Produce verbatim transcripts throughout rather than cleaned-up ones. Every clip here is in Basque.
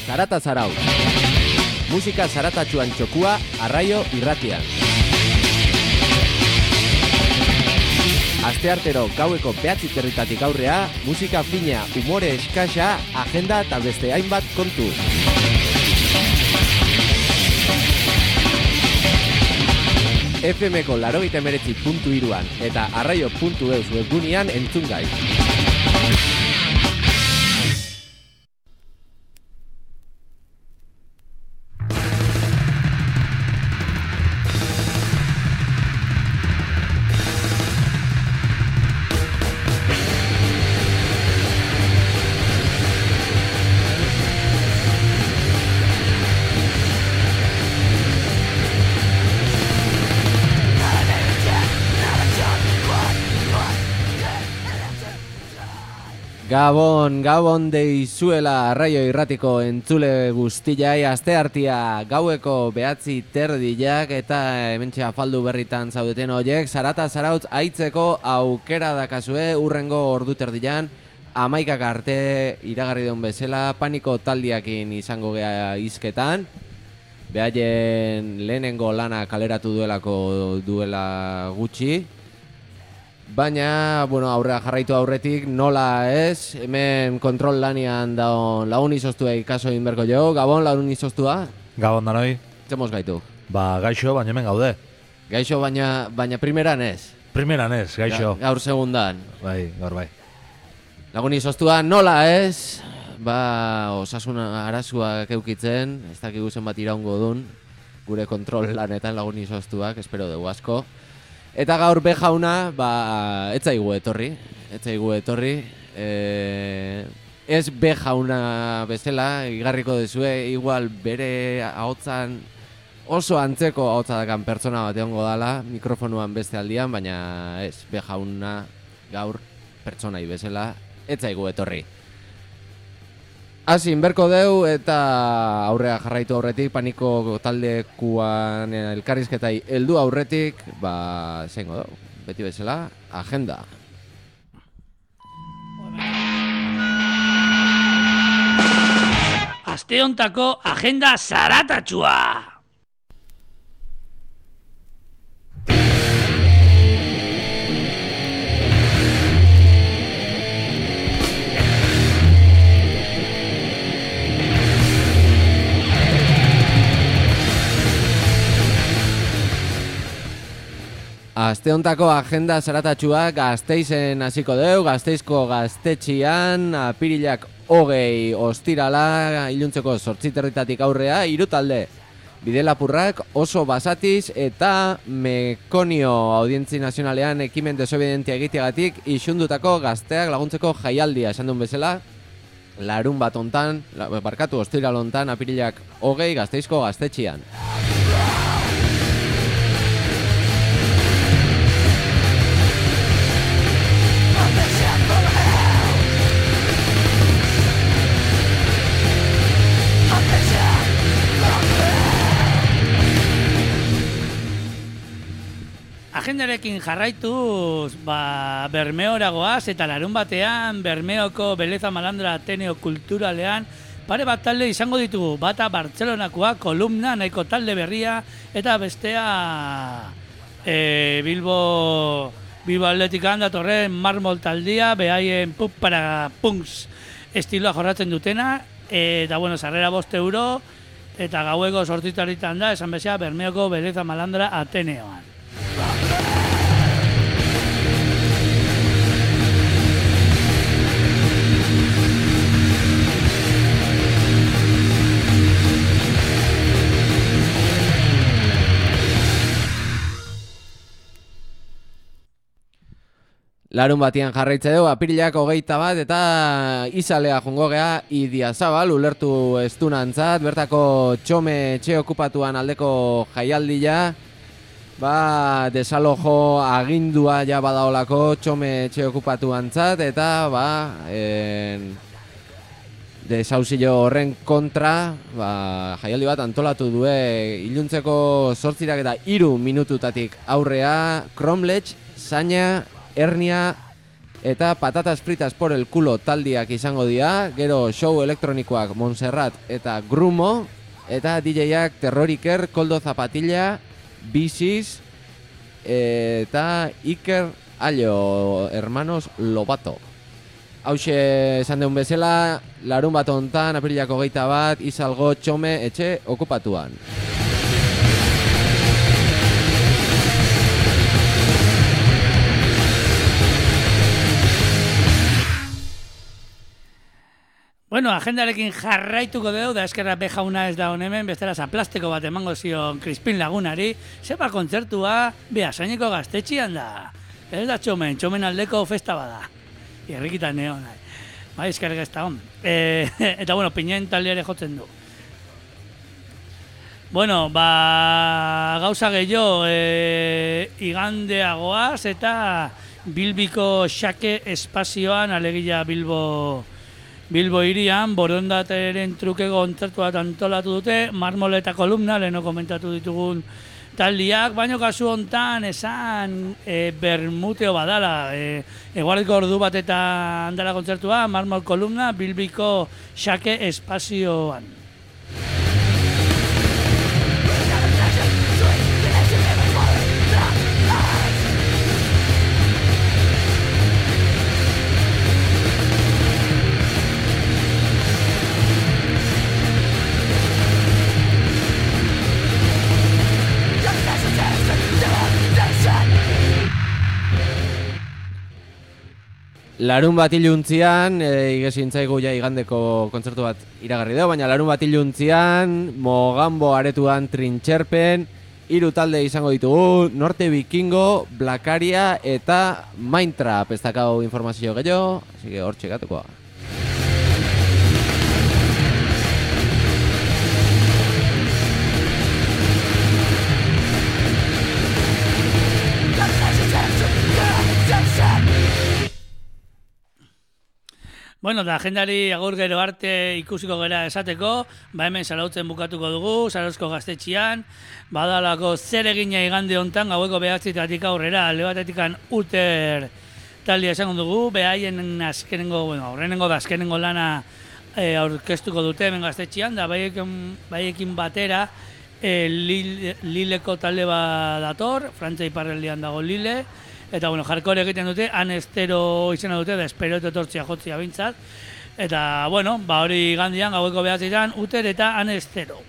Zarata Zarautz. Musika zaratatxuan txokua Arraio Irratian. Asteartero gaueko behatzi territatik aurrea, musika fina, umore eskasa, agenda eta beste hainbat kontu. F Mko laurogeita hemeretzi puntu hiruan eta arraio puntu eus webgunean entzun gai. Gabon, gabon deizuela Arraio Irratiko entzule guztiai, asteartia gaueko behatzi terdiak eta hementxe afaldu berritan zaudeten horiek, Zarata Zarautz aitzeko aukera dakazue urrengo ordu terdian, hamaikak arte iragarri duen bezala, Paniko taldiakin izango gea hizketan, behaien lehenengo lana kaleratu duelako duela gutxi. Baina, bueno, aurrea jarraitu aurretik, nola ez, hemen kontrol lanian daun lagun izostua ikaso inberko jo. Gabon, lagun izostua? Gabon danoi. Zemoz gaitu? Ba, gaixo, baina hemen gaude. Gaixo, baina, baina primeran ez? Primeran ez, gaixo. Ga, gaur segundan. Bai, gaur bai. Lagun izostua, nola ez? Ba, osasun arazuak eukitzen, ez dakigu zenbat iraungo dun, gure kontrol lanetan lagun izostuak, espero dugu asko. Eta gaur be jauna, ba, ez zaigu etorri, ez zaigu etorri, e, ez be jauna bezala, igarriko dezue, igual bere ahotzan oso antzeko ahotza dakan pertsona bat egongo dala, mikrofonuan beste aldian, baina ez, be jauna gaur pertsonai bezala, ez zaigu etorri. Hasi, inberko deu eta aurrea jarraitu aurretik, Paniko taldekuan elkarrizketai heldu aurretik, ba, zeingo deu, beti bezala, agenda. Aste hontako agenda zaratatxua! Aste hontako agenda zaratatxua Gasteizen hasiko deu, Gasteizko gaztetxian, apirilak hogei ostirala, iluntzeko zortzi territatik aurrea, hiru talde. Bidelapurrak, Oso Basatiz eta Mekonio Audientzi Nazionalean ekimen desobedientia egiteagatik isundutako gazteak laguntzeko jaialdia esan duen bezala, larun bat ontan, barkatu ostiral ontan, apirilak hogei Gasteizko gaztetxian. Agendarekin jarraituz, ba, Bermeora goaz eta larun batean Bermeoko Beleza Malandra Ateneo Kulturalean pare bat talde izango ditugu, bata Bartzelonakoa, kolumna, nahiko talde berria eta bestea e, Bilbo Bilbo Atletikan datorren marmol taldia, behaien pup para punks estiloa jorratzen dutena, eta bueno, sarrera bost euro eta gaueko sortzitaritan da, esan bezala Bermeoko Beleza Malandra Ateneoan. Larun batian jarraitze dugu, apirilak hogeita bat eta izalea jongo gea Idiazabal, ulertu estunantzat, bertako txome etxe okupatuan aldeko jaialdia, ba, desalojo agindua ja badaolako txome etxe okupatuantzat, eta ba, en, desauzio horren kontra, ba, jaialdi bat antolatu due iluntzeko zortzirak eta hiru minututatik aurrea, Kromlech, Zaina, Hernia eta patatas fritas por el culo taldiak izango dira, gero show elektronikoak Montserrat eta Grumo, eta D J-ak Terroriker, Koldo Zapatilla, Bisis, eta Iker Allo, hermanos Lobato. Hauxe esan deun bezala, larun bat hontan, apirilako geita bat, izalgo txome etxe okupatuan. Bueno, agendarekin jarraituko dugu, da eskerra bejauna ez da honemen, bestela zaplasteko bat emango zion Crispin Lagunari, zepa kontzertua Beasaineko gaztetxian da. Ez da txomen, txomen aldeko festa bada. Irrikitan neon, nahi. Bai, eskerrek ez da hon. E, eta bueno, pinen taldeare jotzen du. Bueno, ba, gauza gehiago, e, igandeagoaz eta Bilbiko xake espazioan, alegia Bilbo... Bilbo irian, borondateren truke kontzertu bat antolatu dute, marmol eta kolumna, leheno komentatu ditugun taldiak, baino kasu hontan esan e, bermuteo badala, e, eguardiko ordu bat eta handala kontzertua, marmol kolumna, Bilbiko xake espazioan. Larun bat iluntzian, e, igezintzaigu ja igandeko kontzertu bat iragarri dugu, baina larun bat iluntzian, Mogambo aretuan trintxerpen, hiru talde izango ditugu, Norte Vikingo, Blakaria eta Mindtrap. Ez dakau informazio gehiago, así que hor txekatuko. Bueno, da agendari agur gero arte ikusiko gera esateko, ba hemen Zarautzen bukatuko dugu, Zarauzko gaztetxian, badalako zer egina igande hontan, gaueko behatzitatik aurrera, alde batetikan Uter taldia esango dugu, behaien azkenengo, bueno, aurrenengo da azkenengo lana e, aurkeztuko dute hemen gaztetxian, da baiekin, baiekin batera e, Lille, Lileko talde bat dator, Frantzia iparraldean dago Lille, eta bueno, hardcore egiten dute, han estero izena dute, da espero etortzia jotzia bintzat. Eta bueno, ba hori gandian, gaueko behatzitan, Uter eta han estero.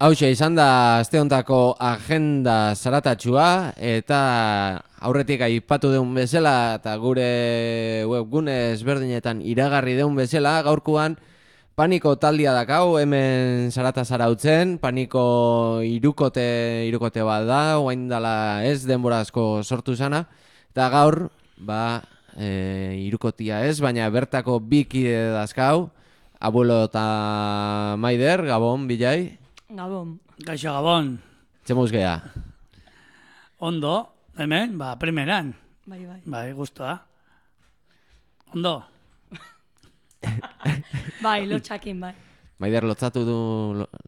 Hauxe izan da aste hontako agenda zaratatxua, eta aurretik aipatu deun bezala eta gure webgune ezberdinetan iragarri deun bezala, gaurkoan Paniko taldia dakau hemen Zarata Zarautzen, Paniko irukote, irukote bat da, oain dala ez denbora asko sortu zana, eta gaur, ba, e, irukotia ez, baina bertako bi kide dazkau, Abuelo eta Maider, Gabon, Bilai. Gabon. Gaixo Gabon. Txemuz geha. Ondo, hemen, ba, primeran. Bai, bai. Bai, guztua. Ondo. Bai, lotxakin, bai. Maider lotzatu du,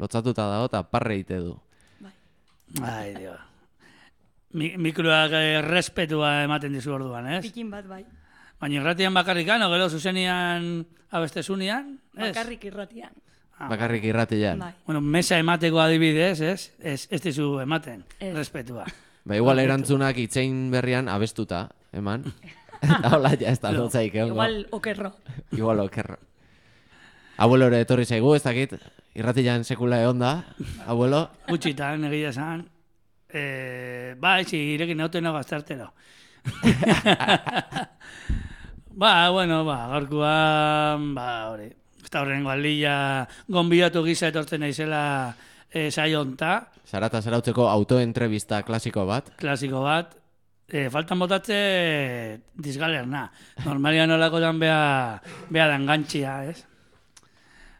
lotzatuta dago eta parre ite du. Bai. Ai, dio. Mi, mikroak eh, respetua ematen dizu orduan, ez? Pikin bat, bai. Baina irratian bakarrikan, o gero zuzenian abestezunian, ez? Bakarrik irratian. bakarrik irratian. Bai. Bueno, mesa emateko adibidez, ez? Ez, ez dizu ematen, Ez. respetua. Ba, igual erantzunak itzein berrian abestuta, eman. Eta hola, ja, ez da lotzaik, egongo. Igual okerro. Igual okerro. Abuelo ere etorri zaigu, ez dakit, irratian sekula egon da, abuelo. Gutxitan, egia esan. Eh, ba, etxi, irekin nauten nago aztartero. Ba, bueno, ba, gaurkoan, ba, hori. Eta horrengo aldila gonbidatu gisa etortzen naizela e, saio honta, Zarata zarautzeko autoentrevista klasiko bat. klasiko bat. E, faltan botatze disgalerna. Normalian nolakotan bea, bea da engantxia, ez?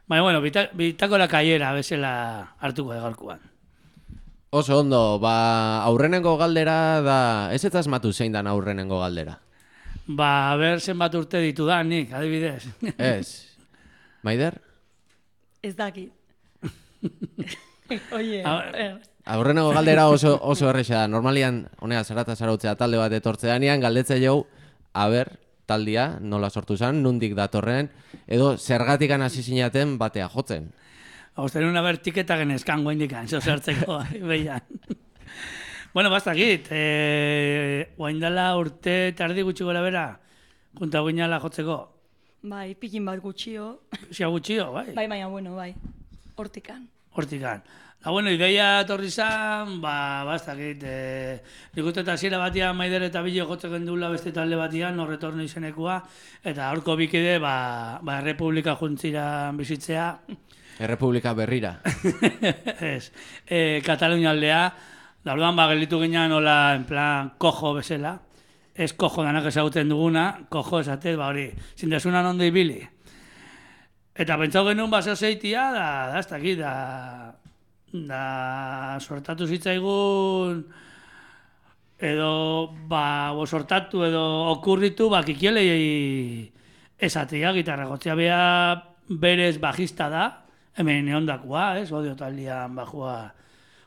Baina, bueno, bita, bitakora kaiera bezala hartuko da gaurkoan. Oso ondo, ba, aurrenengo galdera da, ez ez asmatu zein dan aurrenengo galdera. Ba, ber zenbat urte ditu da, nik, adibidez. Ez. Maider? Ez dakit. Oie, A- er, Aurrenengo galdera oso, oso erresa da. Normalian, honea zarata zarautzea talde bat etortzeanean, galdetze jau, aber, taldia, nola sortu zen, nundik datorren, edo zergatikan hasi zinaten batea jotzen. Hausten una ber tiketa genezkan guaindikan, zo zertzeko, behian. Bueno, bastakit, eh, guaindala urte tardi gutxi gora bera, junta guinala jotzeko. bai, pikin bat gutxio. Zia gutxio, bai, Bai, baina, bueno, bai. Hortikan. hortikan. Da, bueno, ideia etorri zan, ba, bastakit, eh, nik uste eta hasiera batian Maider eta Bilo jotzeko endula beste talde batian, horretorno izenekua, eta horko bikide, ba, ba, Errepublika juntziran bizitzea, Errepublika berrira. ez, e, Katalunia aldea, da orduan ba, gelditu ginean nola, en plan, kojo bezala, ez kojo danak ezagutzen duguna, kojo esatez, ba hori, zindasunan ondo ibili. Eta pentsau genuen baseo zeitia, da, da, ez dakit, da, da, sortatu zitzaigun, edo, ba, bo sortatu edo okurritu, ba, kikielei esatia, gitarra jotzea bea berez bajista da, hemen eondakua, ez, odio taldean bajua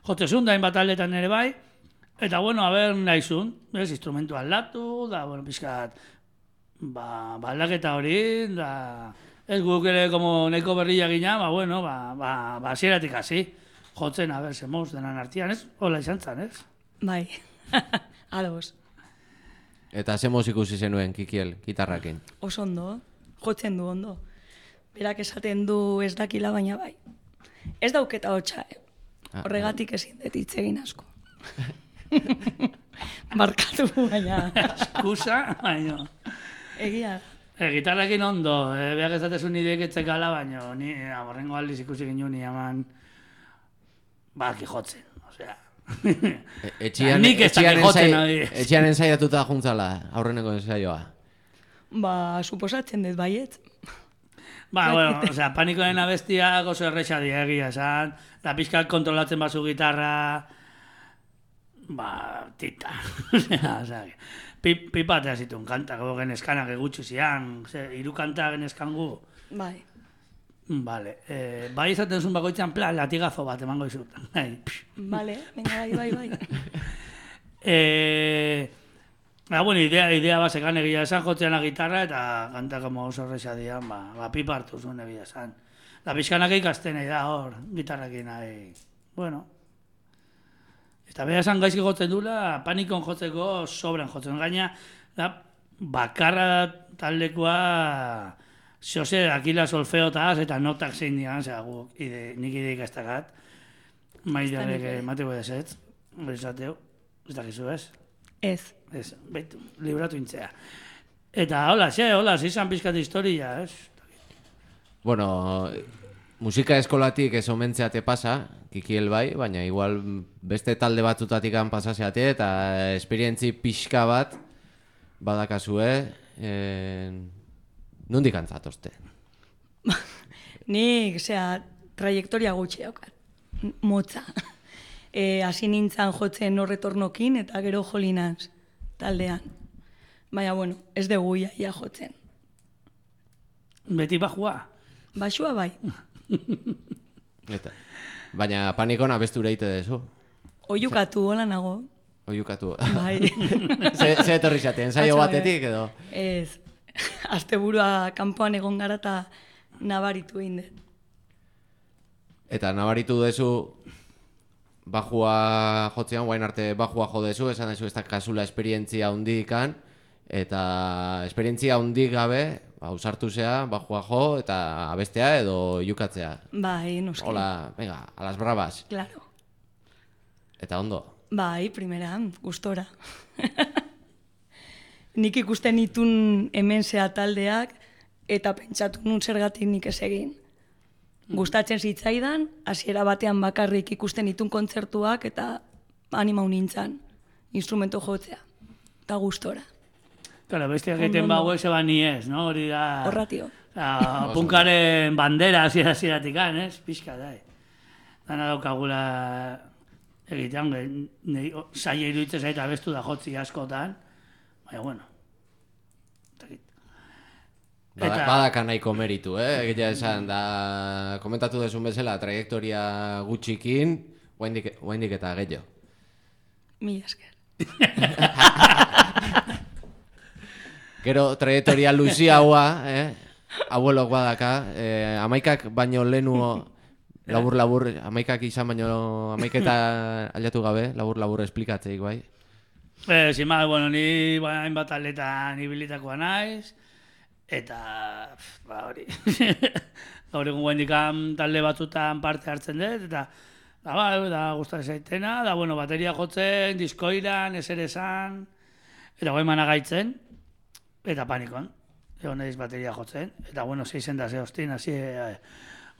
jotzezun da, hainbat taldetan ere bai, eta bueno, haber nahizun, ez, instrumentu aldatu, da, bueno, pixkat, ba, ba aldaketa hori, da, ez guk ere, como nahiko berria gina, ba, bueno, ba, ba, ba, hasieratik hasi, jotzen, haber, zemoz, denan artian, ez, hola izan zan, ez? Bai. Ados. Eta zemoz ikusi zenuen, Kikiel, gitarrakin. Oso ondo. Jotzen du ondo. Berak esaten du ez dakila, baina bai. Ez dauketa hotxa, eh? Ah, Horregatik ezin dut hitz egin asko. Markatu, baina Eskusa, baina... egia. E, gitarrakin ondo, e, behar ezatezun ideek etzekala, baina ni aborrengo aldiz ikusi ginen ni eman baki jotzen, osea... E- Etxian, Nik ez dakit etxian, jotzen, ensai- adibidez. etxian ensaiatuta juntzala, aurreneko ensaioa. Ba, suposatzen dut baiet. Ba, bueno, osea, panikoen abestiak oso erresa dira egia esan, da pixkat kontrolatzen bazu gitarra, ba, tita. Osea, osea, pi- pipatea zituen kantak, ego genezkanak egutxu zian, ze, hiru kanta genezkan gu. Bai. Vale, eh, bai izaten zuen bakoitzan plan, latigazo bat emango izut. Bai, psh. Vale, venga, bai, bai, bai. Eh, ah, bueno, idea, idea basekan egia esan jotzean la gitarra eta kanta como oso horreza dian, ba, ba pipa hartu zuen egia esan. Da pixkanak ikasten nahi da hor, gitarrakin nahi. Bueno. Eta beha esan gaizki jotzen dula, panikon jotzeko sobran jotzen. Gaina, da, bakarra taldekoa, Jose, akila solfeotaz eta notak zein dian, zera guk, ide, nik ide ikastakat. Maiderrek ere. emateko edezetz, bezateu, ez dakizu ez? Ez. Ez, baitu, libratu intzea. Eta hola, xe, hola, zizan pizkat historia, ez? Bueno, musika eskolatik ez omentzeate pasa, Kikiel bai, baina igual beste talde batzutatik pasaseate eta esperientzi pixka bat badakazue, eh, nondik antzatozte? Nik, osea, trajektoria gutxi daukat. Motza. E, hasi nintzen jotzen horretornokin eta gero jolinaz taldean. Baina, bueno, ez dugu ia, ia jotzen. Beti bajua. Basua bai. Eta, baina panikon abestu reite dezu, Oiukatu hola nago. oiukatu. Bai. Ze, ze etorri zate, ensaio Atzo, batetik edo? Ez. Asteburua kanpoan egon gara eta nabaritu egin dut. Eta nabaritu duzu bajua jotzean, guain arte bajua jo dezu, esan dezu ez da kasula esperientzia hundikan, eta esperientzia hundik gabe, ba, usartu zea, bajua jo, eta abestea edo jukatzea. Bai, noski. Hola, venga, a las bravas. Claro. Eta ondo. Bai, primeran, gustora. Nik ikusten itun hemen zea taldeak, eta pentsatu nun zergatik nik ez egin. Gustatzen zitzaidan, hasiera batean bakarrik ikusten itun kontzertuak, eta animau nintzen, instrumento jotzea, eta gustora. Claro, bestiak egiten bago eze ba ni ez, no? Hori da... Horratio. Punkaren bandera hasiera-hasieratik, ez? Pixka, da. Dana daukagula egitean, zaila iruditzen zaita abestu da jotzi askotan, baina, bueno. Bada, badaka nahiko meritu, eh? Egitea esan, da, komentatu desun bezala, trajektoria gutxikin, guaindik eta gehiago. Mila esker. Gero, trajektoria luziagoa, eh? Abuelok badaka, eh, amaikak baino lehenu labur-labur, amaikak izan baino, amaiketa aldatu gabe, labur-labur esplikatzeik, bai? Eh, zima, bueno, ni hainbat atletan ibilitakoa naiz, eta, ba, hori, gaur egun guendikan talde batzutan parte hartzen dut, eta, da, ba, da, gustatzen zaitena, da, bueno, bateria jotzen, diskoiran, ezer esan, eta guain managaitzen, eta panikon, egon naiz bateria jotzen, eta, bueno, zeizen da ze hostin, hasi,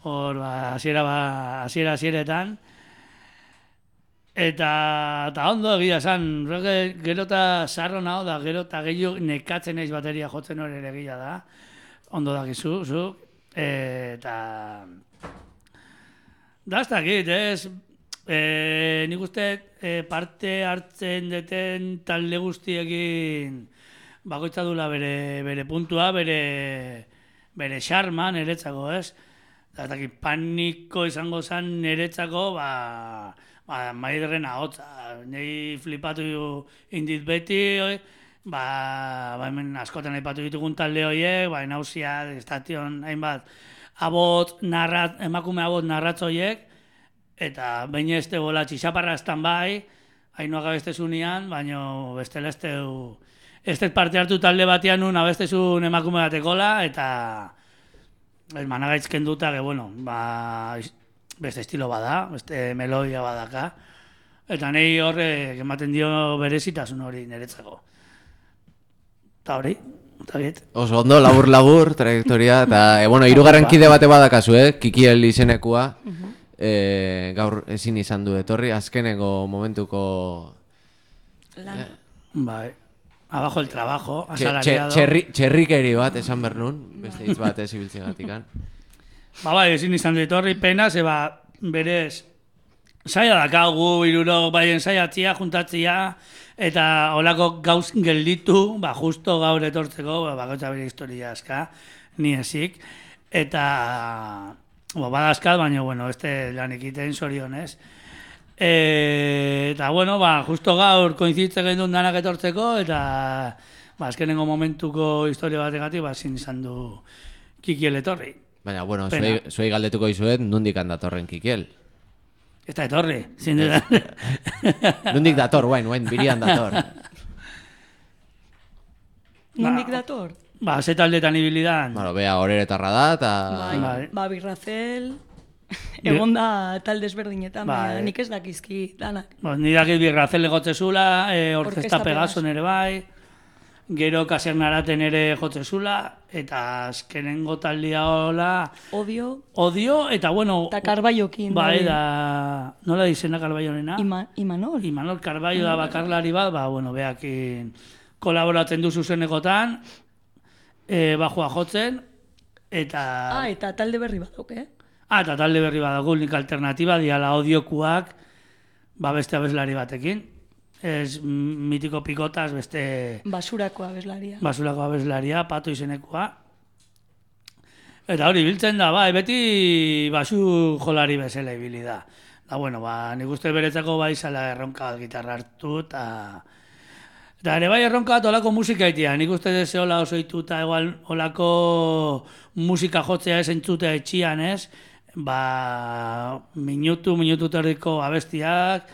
hor, ba, hasiera, ba, hasiera, hasieretan, Eta, eta ondo egia esan, gero eta sarro naho da, gero eta gehiago nekatzen naiz bateria jotzen hori ere egia da. Ondo dakizu, zu. Eta... Da, ez dakit, ez? E, nik uste e, parte hartzen deten talde guztiekin bakoitza dula bere, bere puntua, bere, bere xarma niretzako, ez? Da, ez dakit, paniko izango zen niretzako, ba... Ba, maiderren ahotza, nahi flipatu indit beti, ba, ba hemen askotan aipatu ditugun talde horiek, ba, nauzia, estation, hainbat, abot, narrat, emakume abot narratz horiek, eta baina ez tegoela txixaparraztan bai, hainoa gabestezunean, baina bestela ez tegu, ez teg parte hartu talde batean nun abestezun emakume batekola, eta ez managaitzken duta, que bueno, ba... beste estilo bada, beste melodia badaka, eta nahi horrek ematen dio berezitasun hori niretzako. Eta hori, eta biet. Oso ondo, labur-labur, trajektoria, eta, e, bueno, hirugarren kide bate badakazu, eh? Kikiel izenekua, e, gaur ezin izan du etorri, azkeneko momentuko... Lan. Eh? Bai, abajo el trabajo, asalariado. Txerrikeri bat, esan bernun, beste hitz bat ez ibiltzen gatikan. Ba, bai, ezin izan du etorri pena, zeba berez saia dakagu, iruro baien saiatzia, juntatzia, eta holako gauz gelditu, ba, justo gaur etortzeko, ba, bakotza bere historia aska, ni ezik, eta ba, badazkat, baina, bueno, este lan ekiten zorionez. E, eta, bueno, ba, justo gaur koinzitzen gendun danak etortzeko, eta ba, azkenengo momentuko historia bategatik, ba, ezin izan du Kikiel etorri. Baina, bueno, zuei, zuei galdetuko izuet, nundik datorren Kikiel? Ez da etorri, zin dira. Nundik dator, guain, guain, birian dator. Nundik dator? Ba, ze taldetan ibilidan. Bueno, bea, horeretarra da, eta... Bai, bai. Ba, Birrazel, egon da talde ezberdinetan, bai. Nik ez dakizki danak. Ba, ni dakit Birrazel egotzezula, e, Orkesta Pegason ere bai, gero Kasernaraten ere jotzezula, eta azkenengo taldea hola... Odio. Odio, eta bueno... Eta Karbaiokin. Bai, da... Nola izena Karbaionena? Ima, Imanol. Imanol Karbaio da bakarlari bat, ba, bueno, behakin kolaboratzen du zuzenekotan, e, bajua jotzen, eta... Ah, eta talde berri badok, eh? Ah, eta talde berri badok, nik alternatiba, diala odiokuak, ba, beste abeslari batekin. Ez mitiko pikotas, beste... Basurako abeslaria. Basurako abeslaria, Pato izenekoa. Eta hori, biltzen da, bai, beti basu jolari bezala ibili da. Da, bueno, ba, nik uste beretzako bai zala erronka gitarra hartu, eta... Eta ere bai erronka bat olako musika itia. Nik uste deze hola oso ituta, igual olako musika jotzea ez entzutea etxian, ez? ba, minutu, minutu terdiko abestiak,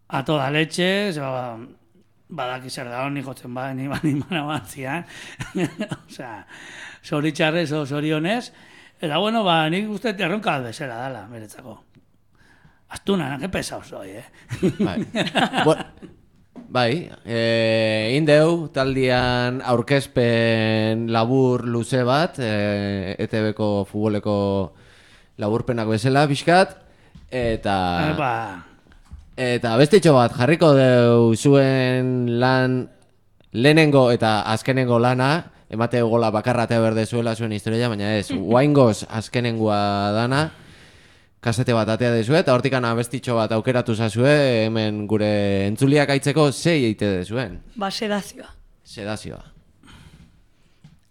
a toda leche, ba, badaki zer da honi jotzen ba, ni bani mana batzian. Osea, zoritxarrez o zorionez. Eta bueno, ba, nik uste erronka bezala dala, beretzako. Astuna, que pesao soy, eh? Bai, bueno, bai e, indeu taldian aurkezpen labur luze bat, e, E T Bko futboleko laburpenak bezala, pixkat, eta... Epa. Eta bestitxo bat, jarriko deu zuen lan lehenengo eta azkenengo lana, emate gola bakarra eta berde zuela zuen historia, baina ez, guaingoz azkenengoa dana, kasete bat atea dezue, eta hortikan abestitxo bat aukeratu zazue, hemen gure entzuliak aitzeko zei eite dezuen. Ba, sedazioa. Sedazioa.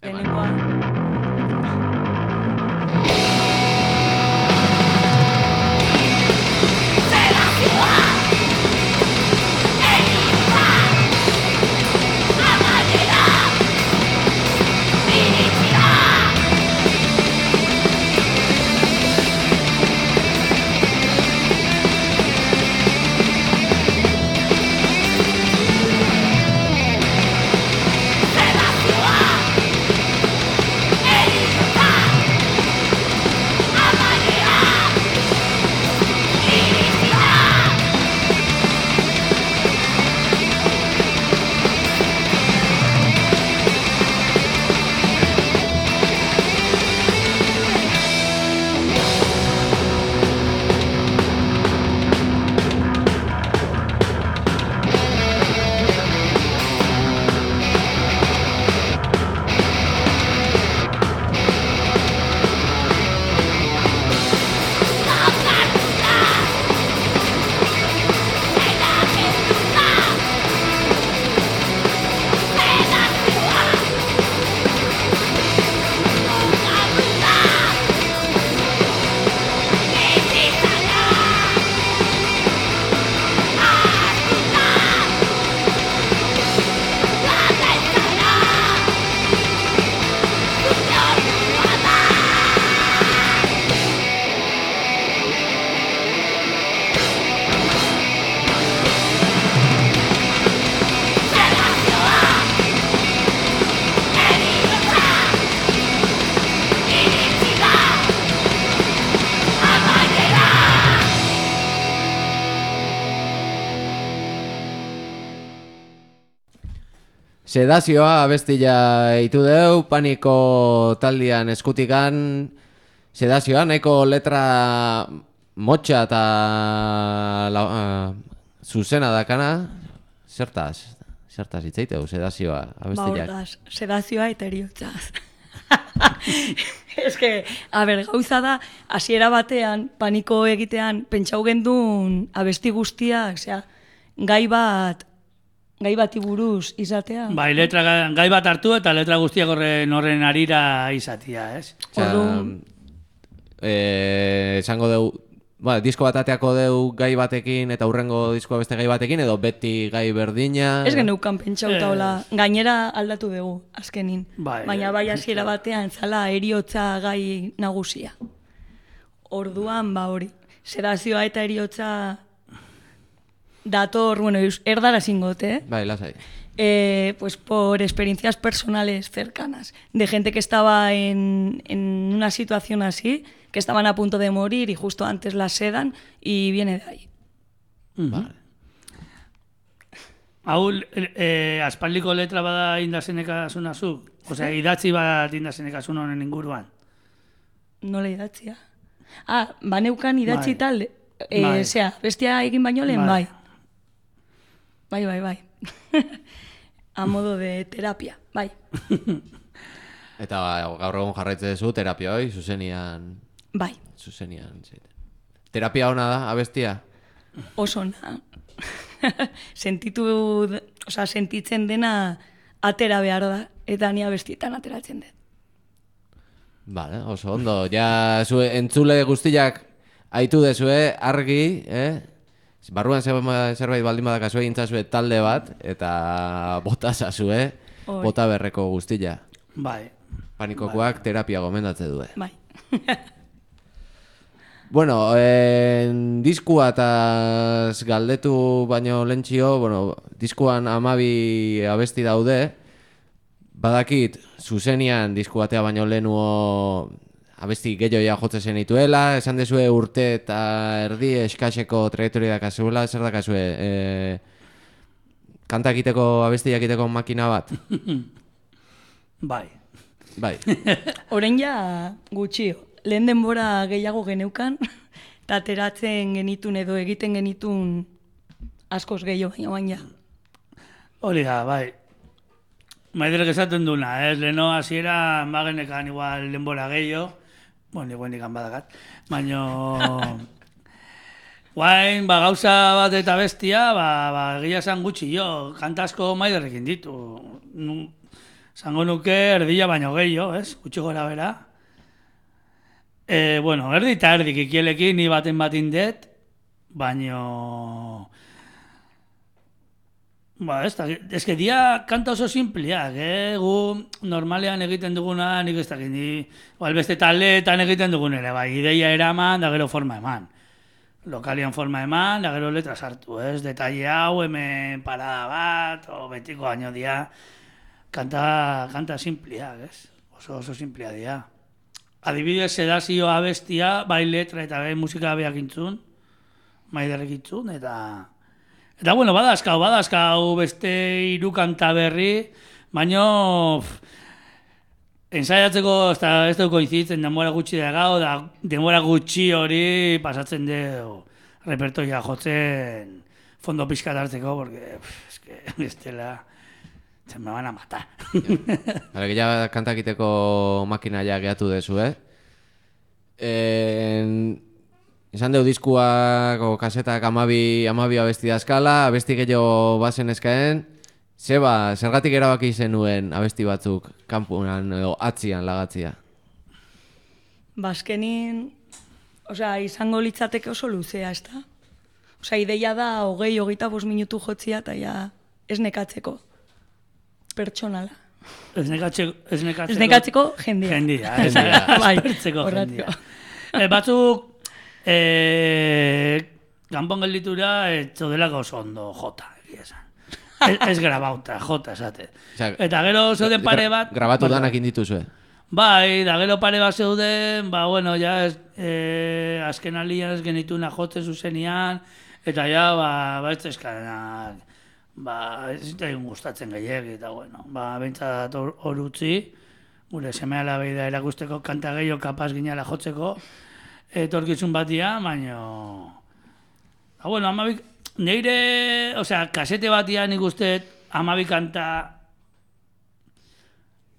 Lehenengoa. Sedazioa abestila itu deu, Paniko taldian eskutikan. Sedazioa nahiko letra motxa eta uh, zuzena dakana. Zertaz? Zertaz itzaiteu, sedazioa abestila. Ba, ordaz, sedazioa eta eriotzaz. Ez que, a ber, gauza da, hasiera batean, Paniko egitean, pentsau gendun abesti guztiak, osea, gai bat, gai bati buruz izatea. Bai, letra, gai bat hartu eta letra guztiak horren, horren arira izatea, ez? Orduan, eh, esango deu, ba, disko bat ateako deu gai batekin eta hurrengo diskoa beste gai batekin, edo beti gai berdina. Ez geneukan pentsauta hola, gainera aldatu dugu, azkenin. Bai, baina bai hasiera batean zala eriotza gai nagusia. Orduan, ba hori, sedazioa eta eriotza dator, bueno, erdara zingote, eh? Bai, lasai. Eh, pues por experiencias personales cercanas, de gente que estaba en, en una situación así, que estaban a punto de morir y justo antes la sedan, y viene de ahí. Uh-huh. Vale. Hau, eh, aspaldiko letra bada indazenekasuna zu? Osea, idatzi bat indazenekasun honen inguruan? Nola idatzia? Ah, baneukan idatzi bai. Tal, eh, bai. Zea, bestia egin baino lehen, bai. Bai, bai, bai. A modo de terapia, bai. Eta gaur egun jarraitze duzu terapia hoi, zuzenian... Bai. Zuzenian, zeiten. Terapia hona da, abestia? Oso ona. Sentitu, oza, sentitzen dena atera behar da, eta ni abestietan ateratzen dut. Vale, oso ondo. Ja, zu, entzule guztiak aitu dezue, argi, eh? Barruan zerbait baldin badakazue intzazue talde bat, eta bota zazue, bota berreko guztia. Bai. Panikokoak terapia gomendatze due. Bai. Bueno, en diskuataz galdetu baino lentxio, bueno, diskuan amabi abesti daude, badakit, zuzenian diskuatea baino lehenuo abesti gehiagoa jotzen zenituela, esan dezue urte eta erdi eskaseko trajektoria dakazuela, zer dakazue, e, kanta egiteko, abesti egiteko makina bat? Bai. Bai. Orain ja gutxio. Lehen denbora gehiago geneukan, eta ateratzen genitun edo egiten genitun askoz gehiago baina baina ja. Hori da, bai. Maiderek esaten duna, ez? Leno hasiera magenekan igual denbora gehiago, bueno, igual nikan badakat, baina guain, ba, gauza bat eta bestia, ba, ba, egia esan gutxi jo, kantasko maiderrekin ditu. Zango nuke erdila baino gehiago, ez? Gutxi gora bera. E, bueno, erdi eta erdik ikielekin ni baten batin det, baino... Ba, ez da, ez que dia kanta oso simpliak, eh? Gu normalean egiten duguna, nik ez dakit, ni... Beste taldeetan egiten dugun ere, bai, ideia eraman, da gero forma eman. Lokalian forma eman, da gero letra sartu, ez? Detalle hau, hemen parada bat, o betiko baino dia, kanta, kanta simpliak, ez? Oso, oso simpliak dia. Adibidez, sedazio abestia, bai letra eta bai musika beak intzun, maiderrek intzun, eta... Eta, bueno, badazkau, badazkau beste hiru kanta berri, baino... Ensaiatzeko, ez dugu koinzitzen, denbora gutxi da gau, da denbora gutxi hori pasatzen dugu repertoria jotzen fondo pixkat hartzeko, porque, es que, ez dela... Se me van a matar. Hala, ja kantakiteko makina ja gehatu dezu, eh? En... Esan deu diskuak o kasetak amabi, amabi abesti dazkala, abesti gehiago bazen eskaen, zeba, zergatik erabaki zenuen abesti batzuk kanpuan edo atzian lagatzia? Bazkenin, osea, izango litzateke oso luzea, ez da? Osea, ideia da, hogei, hogeita bost minutu jotzia, eta ja, ez nekatzeko. Pertsonala. Ez nekatzeko... Ez nekatzeko, ez nekatzeko jendia. Jendia, ez bai, nekatzeko jendia. E, batzuk, e, kanpon gelditura, ez zodelako oso ondo jota, egia esan. Ez, ez grabauta, jota, esate. Eta gero zeuden pare bat... Grabatu danak indituzue. Bai, da gero pare bat zeuden, ba, bueno, ja, ez, e, azken alian ez genituna jotzen zuzenian, eta ja, ba, ba, ez ezkadenak... Ba, ez zitzaigun gustatzen gehiagi, eta bueno, ba, behintzat hor utzi, gure seme alabei da erakusteko kanta gehiago kapaz ginala jotzeko, etorkizun batia, baina... Ba, bueno, amabik, neire, osea, kasete batia nik uste amabi kanta,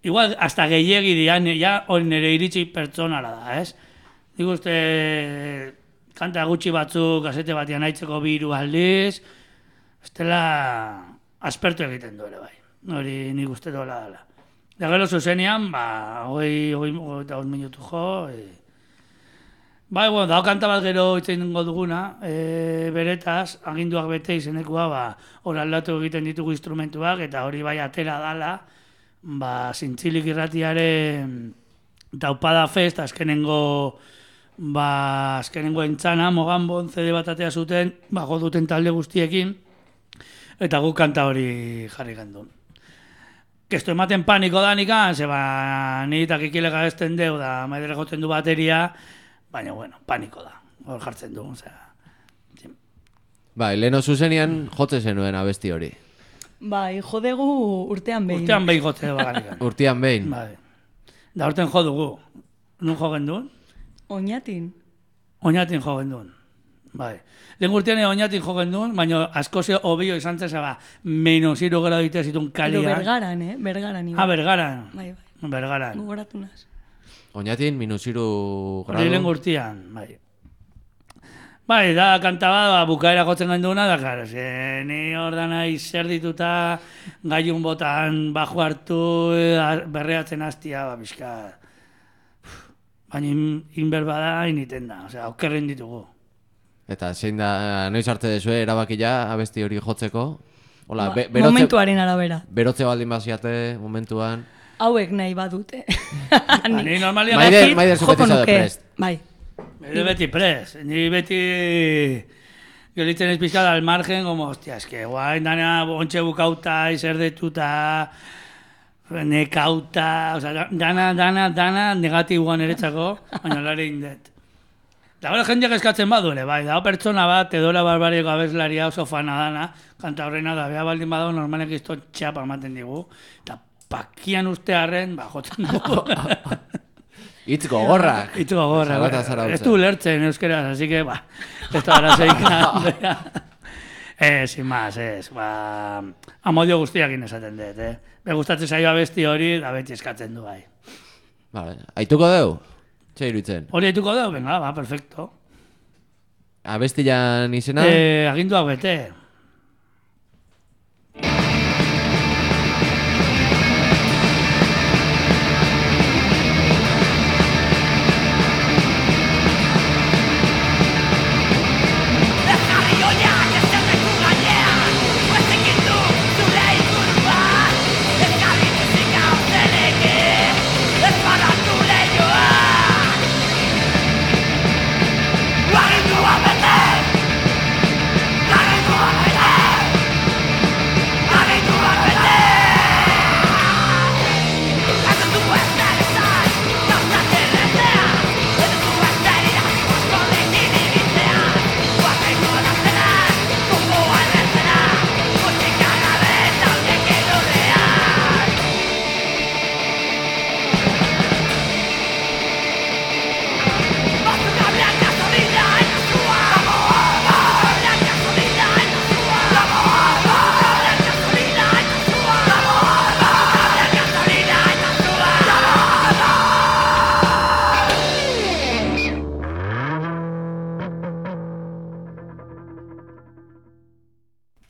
igual, hasta gehiagi dian, ja, hori nire iritsi pertsonara da, ez? Nik uste, kanta gutxi batzuk kasete batian haitzeko biru aldiz, estela aspertu egiten duele, bai. Hori nik uste dola dela. Da gero zuzenean, ba, hogei, hogei, hogei, minutu jo. E... Bai, bueno, dao kanta bat gero itzen duguna, e, beretaz, aginduak bete izenekua, ba, hor aldatu egiten ditugu instrumentuak, eta hori bai atera dala, ba, Zintzilik irratiaren Taupada Fest, azkenengo, ba, azkenengo entzana, Mogambon C D bat atea zuten, ba, goduten talde guztiekin, eta guk kanta hori jarri gandun. Kesto ematen paniko danikan, zeba niretak ikilega ezten deu da, maidere jotzen du bateria, baina, bueno, paniko da, hor jartzen du, osea. Bai, leheno zuzenian jotze zenuen abesti hori. Bai, jodegu urtean behin. Urtean behin jotze bagarikan. Urtean behin? Bai. Da urten jo dugu. Nun jo gendun? Oñatin. Oñatin jo gendun. Bai. Lehen urtean oñatin jo gendun, baina askoze hobio izan zen, zaba, menos hiru gradu ditea zitun kalian. Pero Bergaran, eh? Bergaran. Ah, Bergaran. Bai, bai. Bergaran. Gugoratu naz. Oñatin, minus hiru gradu. Hori lehen urtean, bai. Bai, da, kanta bat, ba, bukaera jotzen genduna, da, klar, ze, ni hor dana izer dituta, gaiun botan, bajo hartu, berreatzen hastia, ba, bizka. Baina inber bada, initen da, osea, okerren ditugu. Eta zein da, noiz arte dezue, erabakila abesti hori jotzeko? Hola, ba, be, berotze, momentuaren arabera. Berotze baldin baziate, momentuan. Hauek nahi badute. Ba, ni normalia... Maider, maider zupetizo de prest. Bai. Ni beti pres, ni beti gelitzen ez pizkada al margen, como, hostia, es que guain dana ontxe bukauta, izerdetuta, nekauta, o sea, dana, dana, dana negatiboan eretzako, baina lare indet. Da gara jendeak eskatzen baduele, bai, da pertsona bat, edola barbariko abeslaria oso fana dana, kanta horrena da, beha baldin badago, normalek izto txapa ematen digu, eta pakian ustearen, ba, jotzen dugu. Itz gogorrak. Itz gogorrak. Zarata Zarautz. Ez du lertzen euskeraz, así que, ba, ez da arazoik. Eh, sin más, ez, ba, amodio guztiakin esaten dut, eh. Be gustatzen zaio abesti hori, da beti eskatzen du, bai. Vale, aituko deu? Txe iruditzen. Hori haituko deu, venga, ba, perfecto. Abestilan izena? Eh, aginduak bete.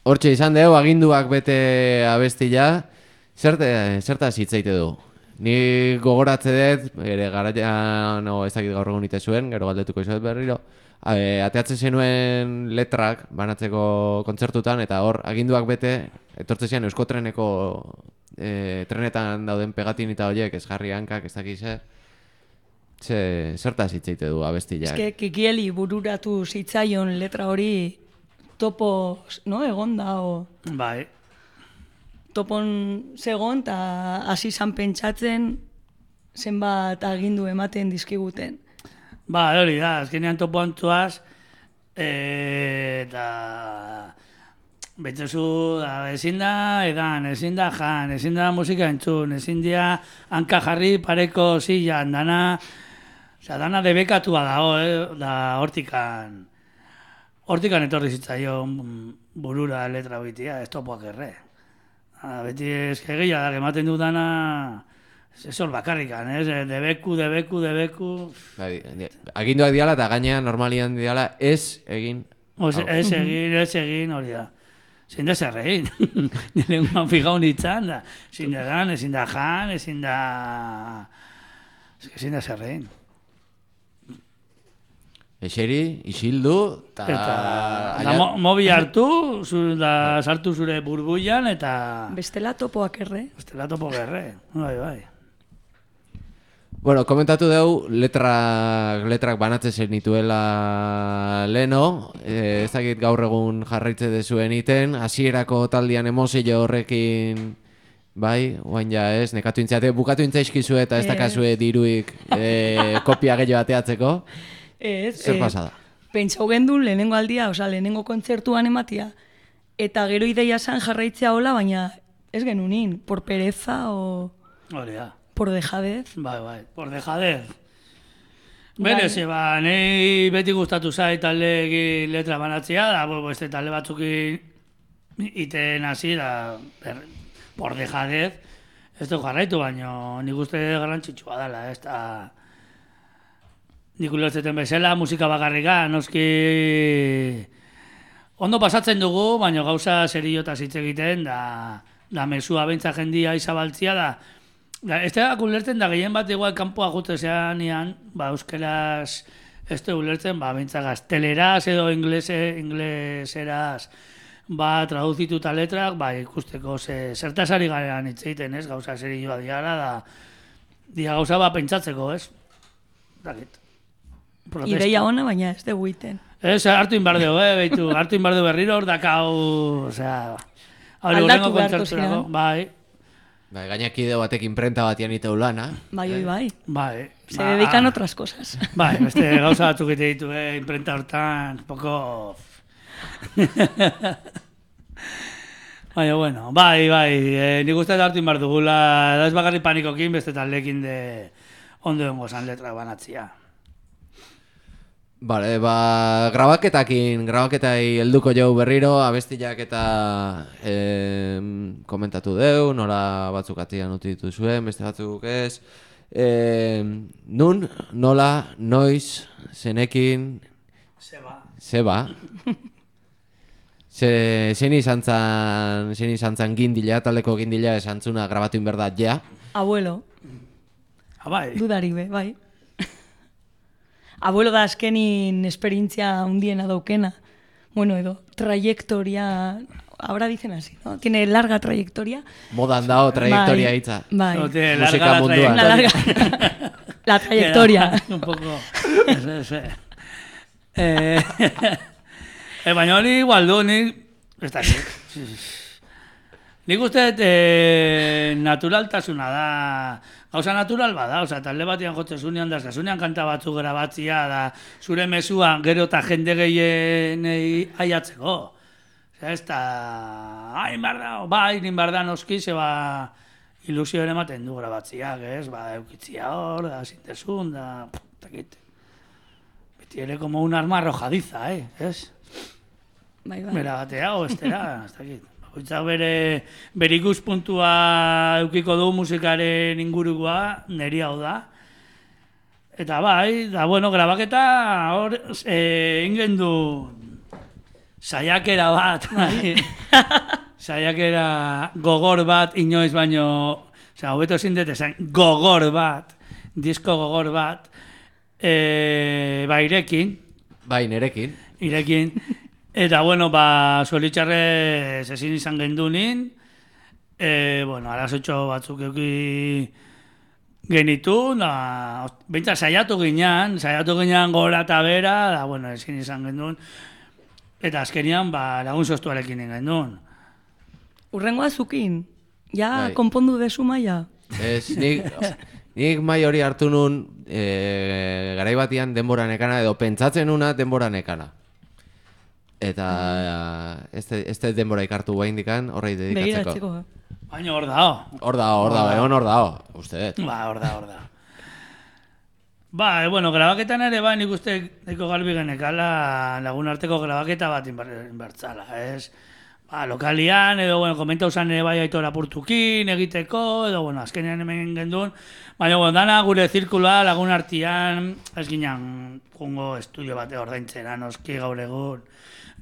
Hortxe izan dugu, aginduak bete abestila, zerte, zertaz hitzaite du. Ni gogoratze dut, ere garaian, no, ez dakit gaur egun ite zuen, gero galdetuko izuet berriro, e, ateatzen zenuen letrak banatzeko kontzertutan, eta hor, aginduak bete, etortze zian Euskotreneko e, trenetan dauden pegatin eta horiek, ez jarri hankak, ez dakiz zer, ze, zertaz hitzaite du abestila. Ez que Kikieli bururatu zitzaion letra hori topo, no, egonda, o... Bai. Topon zegon, eta hasi zan pentsatzen zenbat agindu ematen dizkiguten. Ba, hori da, azkenean topo antzuaz, e, eta betzuzu, ezin da edan, ezin da jan, ezin da musika entzun, ezin da hanka jarri pareko zilan, dana, oza, dana debekatua dago, eh, da hortikan, hortikan etorri zitzaion burura letra bitia, ez topoak erre. Ah, beti eskegia da, ematen du dana, ez hor bakarrikan, ez? Debeku, debeku, debeku... Aginduak diala eta gainean normalian diala ez egin... Oz, ez egin, ez egin, hori da. Ezin da zer egin. Niren guan fijau nintzen da. Ezin da dan, ezin da jan, ezin da... Ezin da zer egin. Eseri, isildu, eta... Eta mo, mobi hartu, zu, da sartu zure burbuian, eta... Bestela topoak erre. Bestela topoak erre, bai, bai. Bueno, komentatu dugu, letrak, letrak banatzen zenituela leno, e, ez dakit gaur egun jarraitze dezuen iten, hasierako taldian emozio horrekin... Bai, oain ja ez, nekatu intzate, bukatu intzaizkizu eta ez dakazue diruik e, kopia gehiago ateatzeko. Ez, zer pasada? E, pentsau gendun lehenengo aldia, oza, lehenengo kontzertuan ematia, eta gero ideia zan jarraitzea hola, baina ez genunin, por pereza o... Hori da. Por dejadez. Bai, bai, por dejadez. Bere, ze ba, nahi beti gustatu zait talde letra banatzea, da, bo, este talde batzukin iten hasi, da, per, por dejadez, ez du jarraitu, baina nik uste garrantzitsua dela, ez da... Nik ulertzeten bezala, musika bakarrika, noski ondo pasatzen dugu, baina gauza seriotaz hitz egiten, da, da mesua bentsa jendia izabaltzia, da, da ez da ulertzen da gehien bat igual kanpoa jutezean ian, ba, euskeraz ez da ulertzen, ba, bentsa gazteleraz edo inglese, ingleseraz, ba, traduzituta letrak, ba, ikusteko ze, zertasari garean hitz egiten, ez, gauza serioa diara, da, dia gauza ba pentsatzeko, ez, dakit. Protesta. Ideia ona, baina ez dugu iten. Ez, hartu inbardeo, eh, beitu, hartu inbardeo berriro hor dakau, osea, hori Aldatu horrengo beharko kontzerturako, ziren. bai, Bai, gainak ideo batek imprenta batian iteu lana. Bai, oi, bai. bai. Se dedican otras cosas. Bai, beste gauza batzuk ite ditu, eh, imprenta hortan, poco... Baina, bueno, bai, bai, eh, nik uste hartu inbar dugula, da ez bakarri panikokin, beste taldekin de ondo dengo zan letra banatzia. Bale, ba, grabaketakin, grabaketai helduko jau berriro, abestiak eta eh, komentatu deu, nola batzuk atian uti dituzuen, beste batzuk ez. Eh, nun, nola, noiz, zenekin, Zeba. zeba. Ze, zein izan zan, zein izan zan gindila, taldeko gindila esantzuna grabatu inberdat ja. Abuelo, Ah, bai. dudari be, bai. Abuelo da azkenin esperientzia hundiena daukena. Bueno, edo, trayectoria, ahora dicen así, ¿no? Tiene larga trayectoria. Modan dao trayectoria Bai, hitza. Bai, No tiene Musika larga la munduan. una trayectoria. larga... La trayectoria. Un poco... Ese, ese. Eh, eh, baina hori igual du, nik... Ez da, nik uste eh, naturaltasuna da... Gauza natural bada, oza, talde batian jotzen zunean da, zunean kanta batzuk grabatzia da, zure mesua gero eta jende gehienei aiatzeko. Osea, ez da... Hain behar da, bai, nin behar da noski, zeba ilusio ere ematen du grabatziak, ez? Ba, eukitzia hor, da, zintezun, da... Takit. Beti ere como un arma arrojadiza, eh? Ez? Bai, bai. Bera batea, o estera, ez dakit. Bakoitzak bere, bere ikuspuntua eukiko du musikaren ingurukoa, neri hau da. Eta bai, da bueno, grabaketa hor, eh, ingen du saiakera bat, bai. Saiakera gogor bat, inoiz baino, osea, hobeto ezin dut esan, gogor bat, disko gogor bat, eh, ba, irekin, Bai, nerekin. irekin, eta, bueno, ba, zoritxarrez ezin izan gendunin, e, bueno, arazotxo batzuk euki genitu, da, behintzat saiatu ginean, saiatu ginean gora eta bera, da, bueno, ezin izan gendun, eta azkenian, ba, lagun sostuarekin gendun. Urrengoa zukin, ja Bai. konpondu desu maia. Ez, nik, nik mai hori hartu nun e, garai batian denbora nekana, edo pentsatzen nuna denbora nekana. Eta ez ez dut denbora ikartu guaindikan horrei dedikatzeko. Begiratzeko. Baina hor dao. Hor da, hor da, egon hor da, uste dut. Ba, hor da, hor da. Ba, e, bueno, grabaketan ere, ba, nik uste eko garbi genekala lagun arteko grabaketa bat inber- inbertzala, ez? Ba, lokalian, edo, bueno, komenta usan ere bai aitora purtukin egiteko, edo, bueno, azkenean hemen gendun, baina, bueno, dana gure zirkula lagun artian, ez ginen jungo estudio bate ordaintzera, noski gaur egun.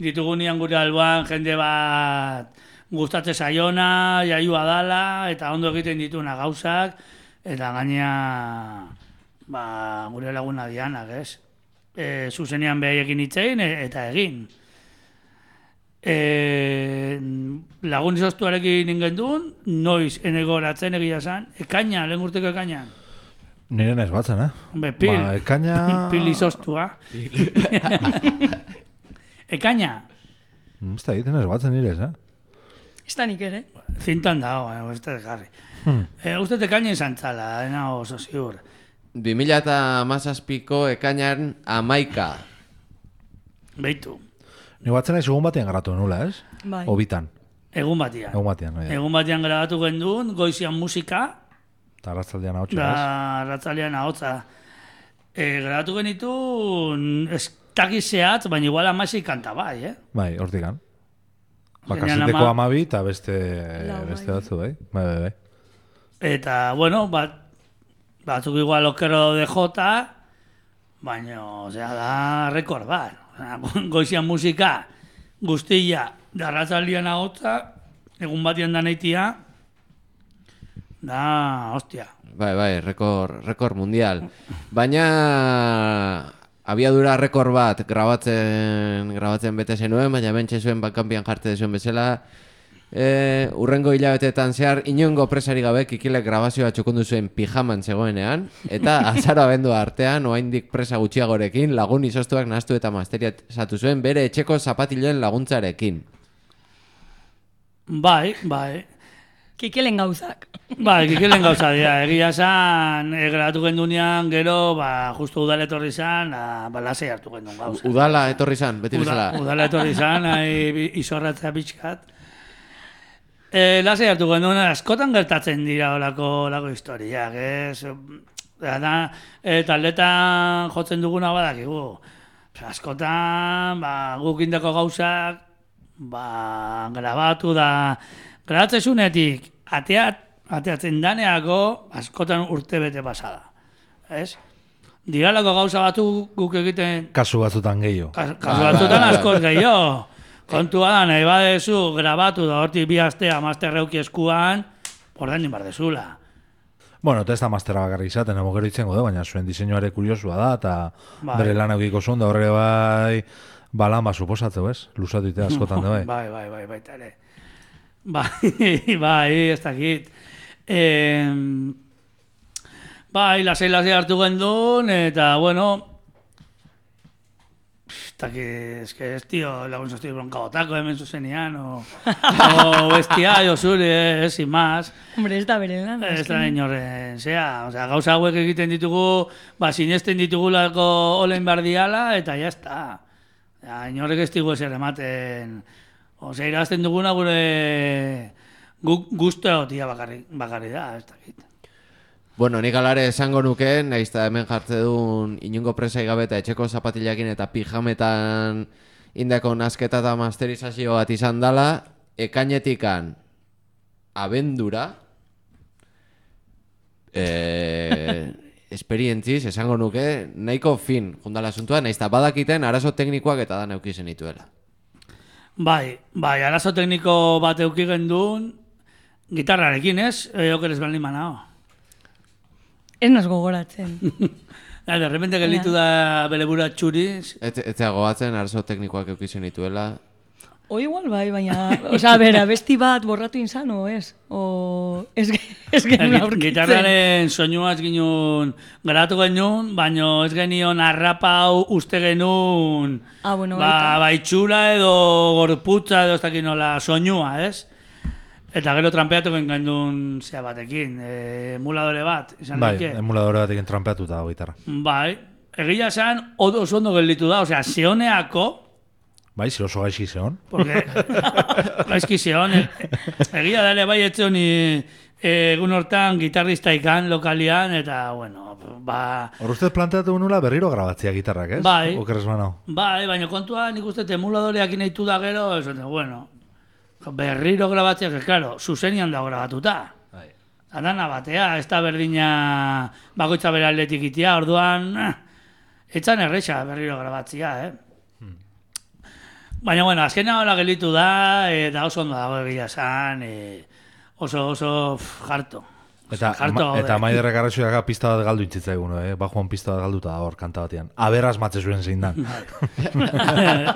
Ditugunian gure alboan jende bat gustatze saiona, jaiua dala, eta ondo egiten dituna gauzak, eta gaina ba, gure laguna dianak, ez? E, zuzenean behaiekin itzein, e, eta egin. E, lagun izoztuarekin ingendun, noiz enegoratzen egia zan, ekaina, lehen urteko ekainan. Nire naiz batzen, eh? Be, pil, Ba, ekaina... pil izoztua. Ekaina, Ez da egiten ez batzen nire, eh? Ez da nik ere. zintan dago, eh, ez da jarri. Hmm. E, uste ekaina izan txala, ena oso ziur. bi mila hamazazpiko ekainan amaika. Beitu, Ni batzen naiz egun batean garatu nula, ez? Bai. Obitan, egun batian. egun batean. Oida. Egun batian grabatu gendun, goizian musika, Eta arratzaldean hau txoraz. da ratzalean ahotza. E, grabatu genitu, ez takizeat, baina igual amasi kanta bai, eh? Bai, hortikan. Ba, Zenean kaseteko ama- amabi eta beste, Lau, beste bai. batzu, bai? Bai, bai, bai. Eta, bueno, bat, batzuk igual okero de jota, baina, osea, da rekord bat. Osea, goizian musika, guztia, darratzaldian ahotza, egun batian da neitia, da, hostia. Bai, bai, rekor, rekor mundial. Baina abiadura rekor bat grabatzen grabatzen bete zenuen, baina bentxe zuen bakanpian jarte zuen bezala, E, urrengo hilabetetan zehar inongo presari gabe Kikilek grabazioa txukundu zuen pijaman zegoenean, eta azaro abendua artean, oraindik presa gutxiagorekin, lagun izostuak nahastu eta masteriazatu zuen bere etxeko zapatiloen laguntzarekin. Bai, bai. Kikelen gauzak. Bai, Kikelen gauza dira. Egia esan, e, grabatu gendunean, gero, ba, justu udala etorri zan, ba, lasei hartu gendun gauza. Udala etorri zan, beti Uda, bezala. udala etorri zan, nahi izorratzea pixkat. E, lasei hartu gendun, askotan gertatzen dira olako, olako historiak, ez? Da, e, taldetan jotzen duguna badakigu. Askotan, ba, guk indako gauzak, ba, grabatu da, grabatzezunetik, ateat, ateatzen daneako, askotan urte bete pasada. Ez? Diralako gauza batu guk egiten... Kasu batzutan gehiago. Kas, kasu batzutan askoz gehiago. Kontua da, nahi badezu, grabatu da hortik bi astea masterreuki eskuan, ordaindu bar dezula. Bueno, eta ez da mastera bakarrik izaten, emo gero itzen gode, baina zuen diseinuare kuriosua da, eta Bai. bere lan eukiko zuen, da horre bai, balan ba, suposatzeu, ez? Lusatu ite askotan da, bai. Bai, bai, bai, baita ere. Bai, bai, ez dakit. Eh, bai, lasei lasei hartu gendun, eta, bueno, ez dakit, ez que ez, tío, lagun zozti bronkabotako hemen zuzenean, o, o bestia, jo zure, ez, sin más. Hombre, ez da bere lan. Ez da inorren, zea, osea, gauza hauek egiten ditugu, ba, sinesten ditugulako olen bardiala, eta ya está. Ja, inorrek ez digu ezer ematen, osea, irazten duguna gure gu, guztu egotia bakarri, bakarri da, ez dakit. Bueno, nik alare esango nuke, nahiz eta hemen jartze duen inungo presai gabe eta etxeko zapatilakin eta pijametan indako nasketa eta masterizazio bat izan dala, ekainetikan abendura, eh, esperientziz, esango nuke, nahiko fin jundala asuntua, nahiz eta badakiten arazo teknikoak eta da neukizen dituela. Bai, bai, arazo tekniko bat euki gendun, gitarrarekin, ez? E, okeres baldin manao. Ez nas gogoratzen. Ja, de repente gelitu da bere bura txuriz. Ez ez goatzen arazo teknikoak eukizen dituela. O igual bai, baina... Osa, bera, besti bat borratu inzan, o ez? O... Ez, ez genuen aurkitzen. Gitarraren soinuaz ginun grabatu genuen, baina ez genion arrapau uste genuen Ah, bueno, ba, baita. baitxura edo gorputza edo ez dakit nola soinua, ez? Eta gero trampeatu genuen zea batekin, e, emuladore bat, izan Bai, daike. emuladore batekin trampeatuta dago gitarra. Bai, egia esan, odo oso ondo gelditu da, osea, zehoneako, Bai, zi oso gaixi zeon. porque gaizki zeon, e, egia dale bai etzion egun hortan gitarrista ikan lokalian, eta, bueno, ba... Hor ustez planteatu nula berriro grabatzea gitarrak, ez? Bai. Okeres banau. Bai, baina kontua nik uste emuladoreak inaitu da gero, esaten, bueno, berriro grabatzea, que claro, zuzenian dago grabatuta. Bai. Adana batea, ez da berdina bakoitza bere aldetik itia, orduan, eh, etzan erresa berriro grabatzea, eh? Hmm. Baina, bueno, azkena hola gelitu da, eta oso ondo dago egia esan, e, oso, oso pff, jarto. Eta, Jarto ma, gaude. eta maiderrek arrazoiak pista bat galdu intzitzaigun, eh? Bajuan pista bat galduta da hor kanta batean. Aberaz matze zuen zein dan.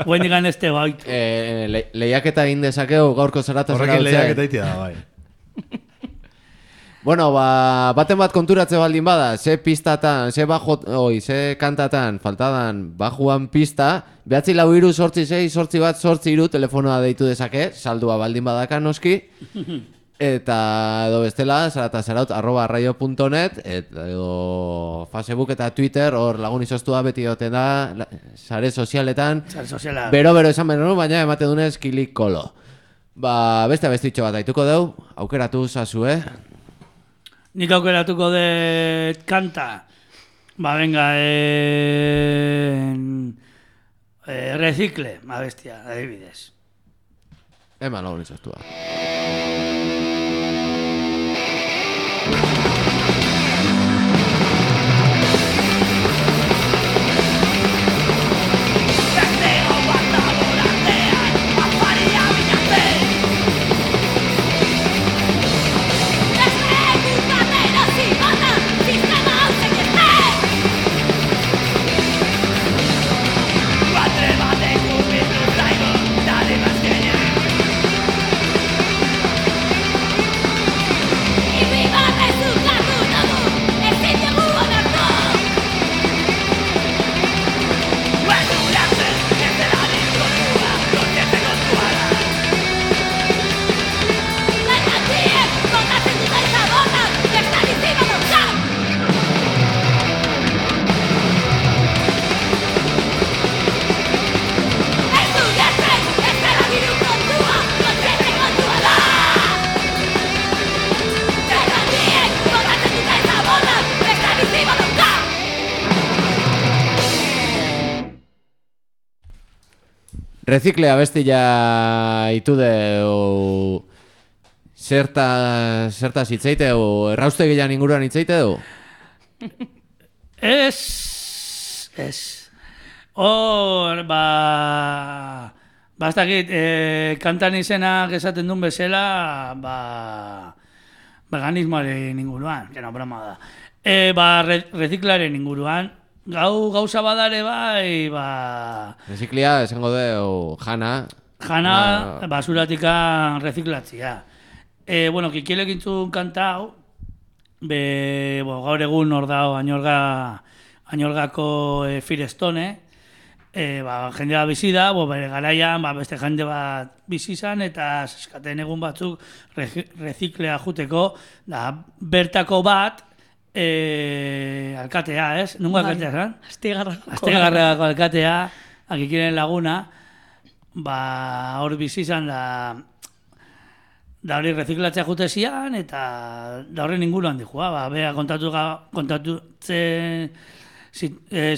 Buen digan este bait. E, le, lehiaketa egin dezakegu gaurko zarata Horrekin lehiak eta itia da, bai. Bueno, ba, baten bat konturatze baldin bada, ze pistatan, ze bajo, oi, ze kantatan, faltadan bajuan pista, behatzi lau iru, sortzi zei, sortzi bat, sortzi iru, telefonoa deitu dezake, saldua baldin badaka noski, eta edo bestela, zarata zaraut, arroba arraio punto net, eta edo Facebook eta Twitter, hor lagun izostua beti doten da, la- sare sozialetan, Sare soziala. bero-bero esan behar, baina emate dunez kilik kolo. Ba, beste bestitxo bat aituko deu, aukeratu zazu, eh? Nik aukeratuko dut kanta. Ba, venga, en... eh, Recicle, ma bestia, adibidez. Eman lagun izostua. Sistema Reziklea bestia itude o zerta zerta hitzaite o erraustegian inguruan hitzaite du? Ez, ez. Hor, ba... Bastakit, eh, kantan izenak esaten duen bezala, ba... veganismoaren inguruan, que no, broma da. E, ba, re, reziklaren inguruan, gau gauza badare bai, ba... Reziklia, esango de, jana... Jana, ba, basuratikan reziklatzia. E, bueno, kikielek intzun kantau, be, bo, gaur egun hor dao, añorga, añorgako e, Firestone, e, ba, jendea bizi da, bo, bere garaian, ba, beste jende bat bizi izan, eta eskaten egun batzuk reziklea juteko, da, bertako bat, e, alkatea, ez? Nungo alkatea, zan? Astigarrako. Astigarrako alkatea, akikiren laguna, ba, hor bizi izan da, da hori reziklatzea jute zian, eta da horren inguruan dihua, ba, bea kontatu, kontatutzen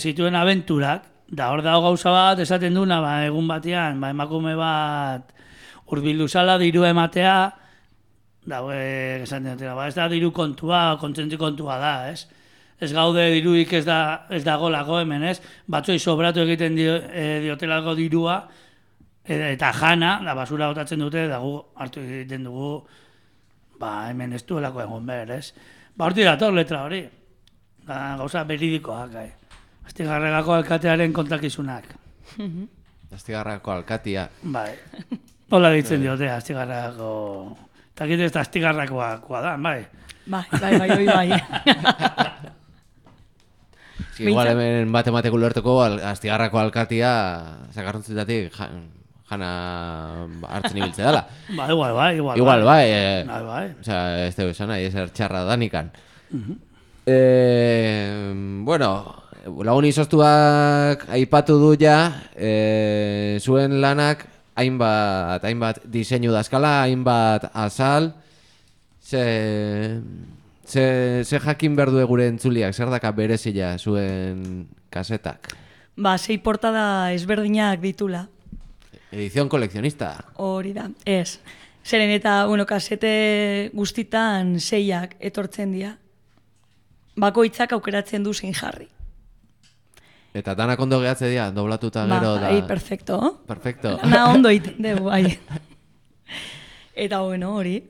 zituen abenturak, da hor dago gauza bat, esaten duna, ba, egun batean, ba, emakume bat hurbildu zala diru ematea, da, e, esaten dutela, ba, ez da diru kontua, kontzentri kontua da, ez? Ez gaude diruik ez da, ez dagolako hemen, ez? Batzoi sobratu egiten dio, e, diotelako dirua, eta jana, da basura botatzen dute, da gu hartu egiten dugu, ba, hemen ez duelako egon behar, ez? Ba, horti dator letra hori, da, gauza beridikoak, gai. Astigarragako alkatearen kontakizunak. Astigarragako alkatia. Bai, hola ditzen diote, Astigarragako... Eta gite ez da Astigarrakoa da, bai. Bai, bai, bai, bai, bai. Igual hemen bat emateko ulertuko Astigarrako alkatia zakarrontzitatik jana hartzen ibiltze dela. Ba, igual, bai, igual, igual, bai. Bai, bai. Osea, ez dugu esan nahi, ezer txarra danikan. Eh, bueno, lagun izoztuak aipatu du ja, eh, zuen lanak hainbat, hainbat diseinu dazkala, hainbat azal, ze, ze, ze jakin berdu gure entzuliak, zer daka berezila zuen kasetak? Ba, sei portada ezberdinak ditula. Edición kolekzionista. Hori da, ez. Zeren eta, bueno, kasete guztitan seiak etortzen dira. Bakoitzak aukeratzen du zein jarri. Eta danak ondo gehatze dira, doblatuta gero da... Bai, perfecto. Perfecto. Na ondo iten dugu, bai. Eta, bueno, hori.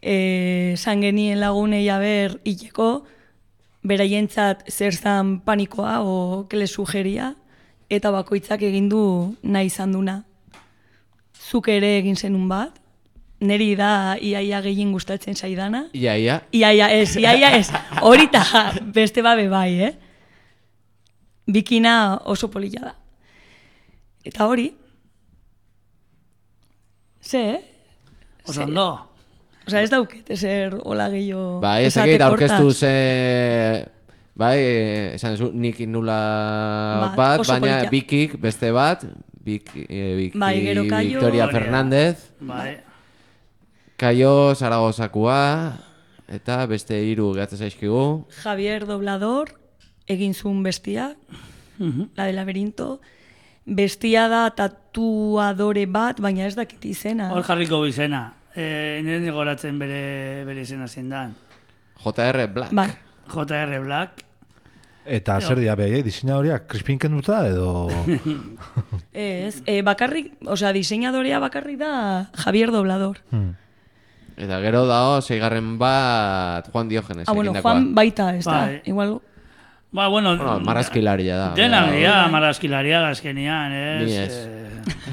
E, San genien lagunei aber hileko, beraientzat zer zan panikoa o kele sugeria, eta bakoitzak egin du nahi izan duna. Zuk ere egin zenun bat, neri da iaia gehien gustatzen zaidana. Iaia? Iaia ez, iaia ez. Horita beste babe bai, eh? Bikina oso polilla da. Eta hori, ze, eh? Oso ondo. Osa ez dauket, ezer hola gehiago... Bai, ez egit aurkeztu ze... Bai, esan zu, nik nula bat, baina Bikik beste bat, Biki, Biki, bai, gero Kaio... Victoria Fernández, bai. Kaio Zaragozakua, eta beste hiru gehatzen zaizkigu. Javier Doblador, egin zuen bestia, la de laberinto. Bestia da tatuadore bat, baina ez dakit izena. Hor jarriko izena. Eh, nire goratzen bere, bere izena zindan. J R Black. Bai. J R Black. Eta zer dia behai, diseinadoriak krispinken duta edo... Ez, e, bakarrik, osea, diseinadorea bakarrik da Javier Doblador. Hmm. Eta gero dao, seigarren bat Juan Diogenes. Ah, bueno, Juan baita, ez da, bai. igual... Ba, bueno... Bueno, marrazkilaria da. Dena, Bai. ja, marrazkilaria gazkenian, ez? Ni ez.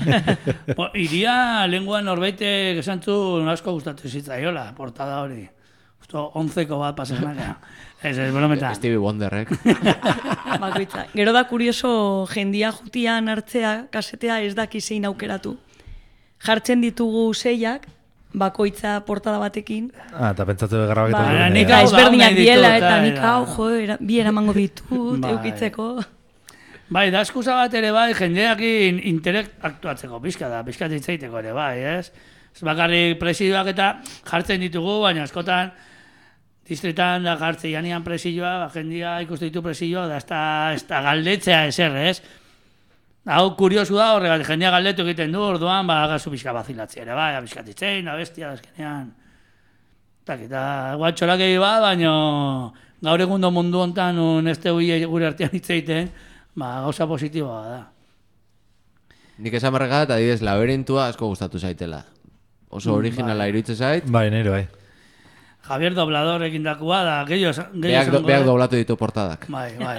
Eh, bo, iria lenguan norbaitek esan zu asko gustatu zitzaiola, portada hori. Justo, onzeko bat pasenak. Ez, ez, brometan. Stevie Wonderrek. Bakoitza. Gero da kurioso jendia jutian hartzea, kasetea ez daki zein aukeratu. Jartzen ditugu seiak, bakoitza portada batekin. Ah, eta pentsatzen grabaketa. Ba, dut, nik eh? hau da, Ezberdinak nahi diela ditut, eta eta- nik hau, jo, era- bi eramango ditut, Bai. eukitzeko. Bai, da eskusa bat ere bai, jendeakin interek aktuatzeko, pixka da, pixka ditzaiteko ere bai, ez? Ez bakarrik presidioak eta jartzen ditugu, baina askotan distretan da jartzen janean presioa, ba, jendia ikusten ditu presioa, da ez da, ez da galdetzea ezer, ez? Hau kuriosu da, horregatik jendea galdetu egiten du, orduan, ba, gazu pixka bazilatzea ere, bai, pixka ditzein, da bestia, azkenean. Eta, guatxorak egi bat, baina gaur egundo mundu hontan, un ez tegu gure artean hitzeiten, ba, gauza positiboa da. Nik esan barregat, adibidez, laberintua asko gustatu zaitela. Oso originala iruditzen zait. Bai, nire, bai. Javier Doblador egindakua da, gehiago Beak, do, beak doblatu ditu portadak. Bai, bai.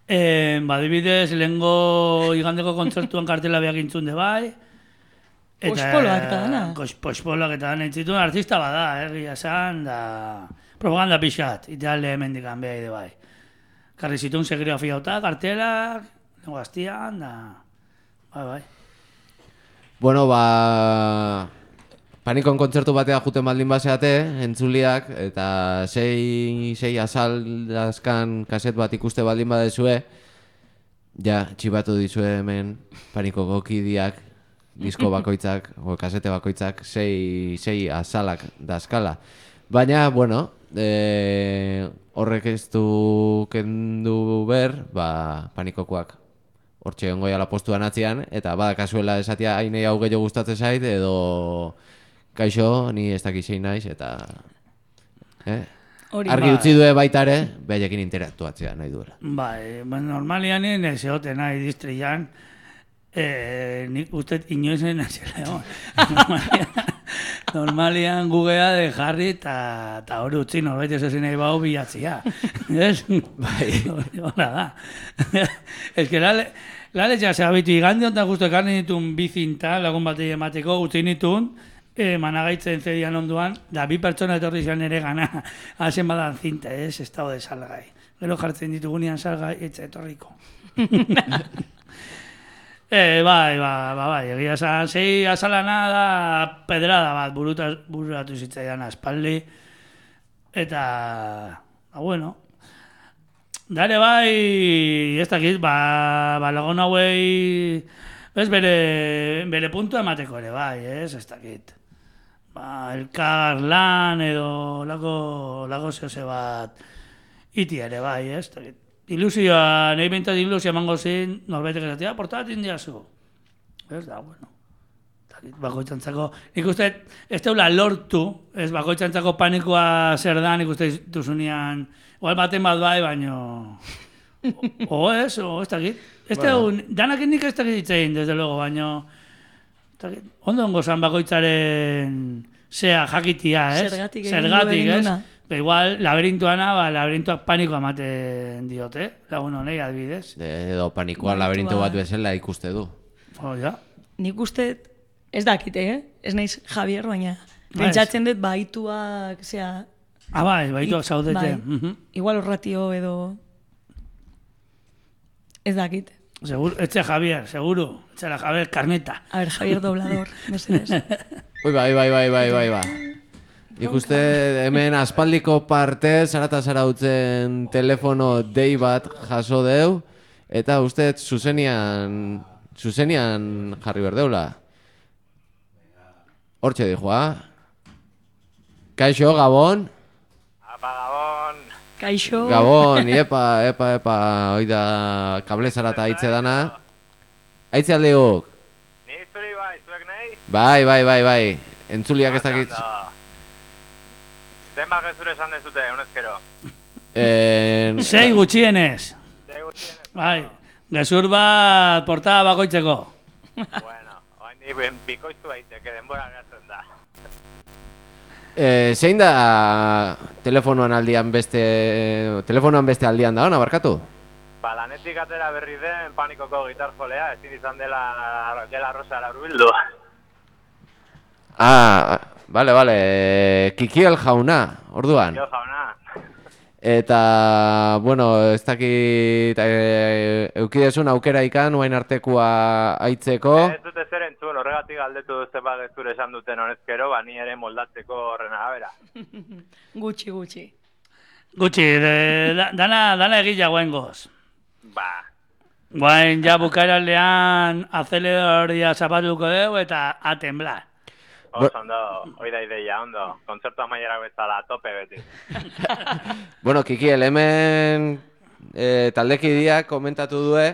eh, badibidez, lehengo igandeko kontzertuan kartela beak intzunde bai. Pospoloak eta dana. Pospoloak eta dana intzituen artista bada, egia esan, da propaganda pixat, ideale hemendikan beha ide bai. Karri zituen segrigrafia hota, kartelak, lengo gaztian, da... Bai, bai. Bueno, ba... Panikon kontzertu batea juten baldin baseate, entzuliak, eta sei, sei azaldazkan kaset bat ikuste baldin badezue, ja, txibatu dizue hemen Panikoko kidiak, disko bakoitzak, o kasete bakoitzak, sei, sei azalak dazkala. Baina, bueno, e, horrek ez du kendu ber, ba, Panikokoak hortxe ongoia la postuan atzian, eta badakasuela esatia hainei hau gehiago gustatzen zait, edo kaixo, ni ez dakizein naiz, eta eh? argi ba. utzi due baita ere, behaiekin interaktuatzea nahi duela. Bai, ba, normalian ez egoten nahi distrian, eh, nik uste inoizen nazela egon. normalian, normalian gugea de jarri eta hori utzi norbait ez ezin nahi bau bilatzia. Ez? Bai. Hora da. Ez que la, la letxa se habitu igande ontan justo ekarni ditun bizinta lagun batei emateko utzi nitun, E, managaitzen zedian onduan, da bi pertsona etorri zian ere gana, hazen badan zinta, ez, estado de salgai. Gero jartzen ditugunean salgai, etxe etorriko. e, bai, ba, ba, bai, egia esan, zei azalana da pedrada bat, buruta, bururatu zitzaidan aspaldi, eta, ba, bueno, dare bai, ez dakit, ba, ba lagun hauei, ez bere, bere puntua emateko ere bai, ez, ez dakit. Ba, elkar lan edo lago, lago zehose bat iti ere bai, ez? Ilusioa, nahi bintat ilusioa emango zin, norbaitek esatia, portatin diazu. Ez da, bueno. Bakoitzantzako, nik uste, ez teula lortu, ez bakoitzantzako panikoa zer da, nik uste duzunean, igual baten bat bai, baino... O, o ez, o ez dakit. Ez teun, danak nik ez dakit ditzein, desde luego, baino... Ondo ongo zan bakoitzaren zea jakitia, ez? Zergatik, Zergatik, ez? Ba, igual, laberintuana, ba, laberintuak panikoa ematen diote, lagun honei adibidez. Edo panikoa laberintu bat bezala ikuste du. Oh, ja. Nik uste, ez dakite, eh? Ez naiz Javier, baina pentsatzen dut baituak, zea... Ah, bai, baituak zaudete. Bai, uh -huh. igual horratio edo... Ez dakite. Seguro, etxe Javier, seguro. Etxe la Javier Carneta. A ver, Javier Doblador, mesedez. Ui, bai, bai, bai, bai, bai, bai. Ikuste hemen aspaldiko parte, zarata zarautzen telefono dei bat jaso deu, eta uste zuzenian, zuzenian jarri berdeula. Hortxe dijoa. Kaixo, Gabon. Apa, Gabon. Kaixo. Gabon, epa, epa, epa, oida kable zarata aitze dana. Aitze aldeuk. Ni zuri bai, zuek nahi? Bai, bai, bai, bai. Entzuliak ez dakit. Zenbat gezure esan dezute, honezkero? Eh, Sei gutxienez. Sei gutxienez. Bai, gezur bat portada bakoitzeko. Bueno, oain di bikoiztu daiteke, denbora geratzen da. Eh, zein da telefonoan aldian beste telefonoan beste aldian da ona barkatu? Ba, lanetik atera berri den Panikoko gitarjolea, ezin izan dela dela Rosa hurbildu. Ah, vale, vale. Kikiel jauna, orduan. Jo, jauna. Eta, bueno, ez dakit e, eukidezun aukera ikan, oain artekoa aitzeko. Ez dute zer entzun, horregatik galdetu zeba gezure esan duten honezkero, ba, ni ere moldatzeko horren arabera. Gutxi, gutxi. Gutxi, de, da, dana, dana egila guaingoz. Ba, Guain ja bukaeraldean azeledoria zapatuko dugu eta a temblar. oso ondo, hoi da ideia, ondo. Kontzertu amaiera bezala, a tope beti. Bueno, Kikiel, hemen e, taldekideak komentatu due,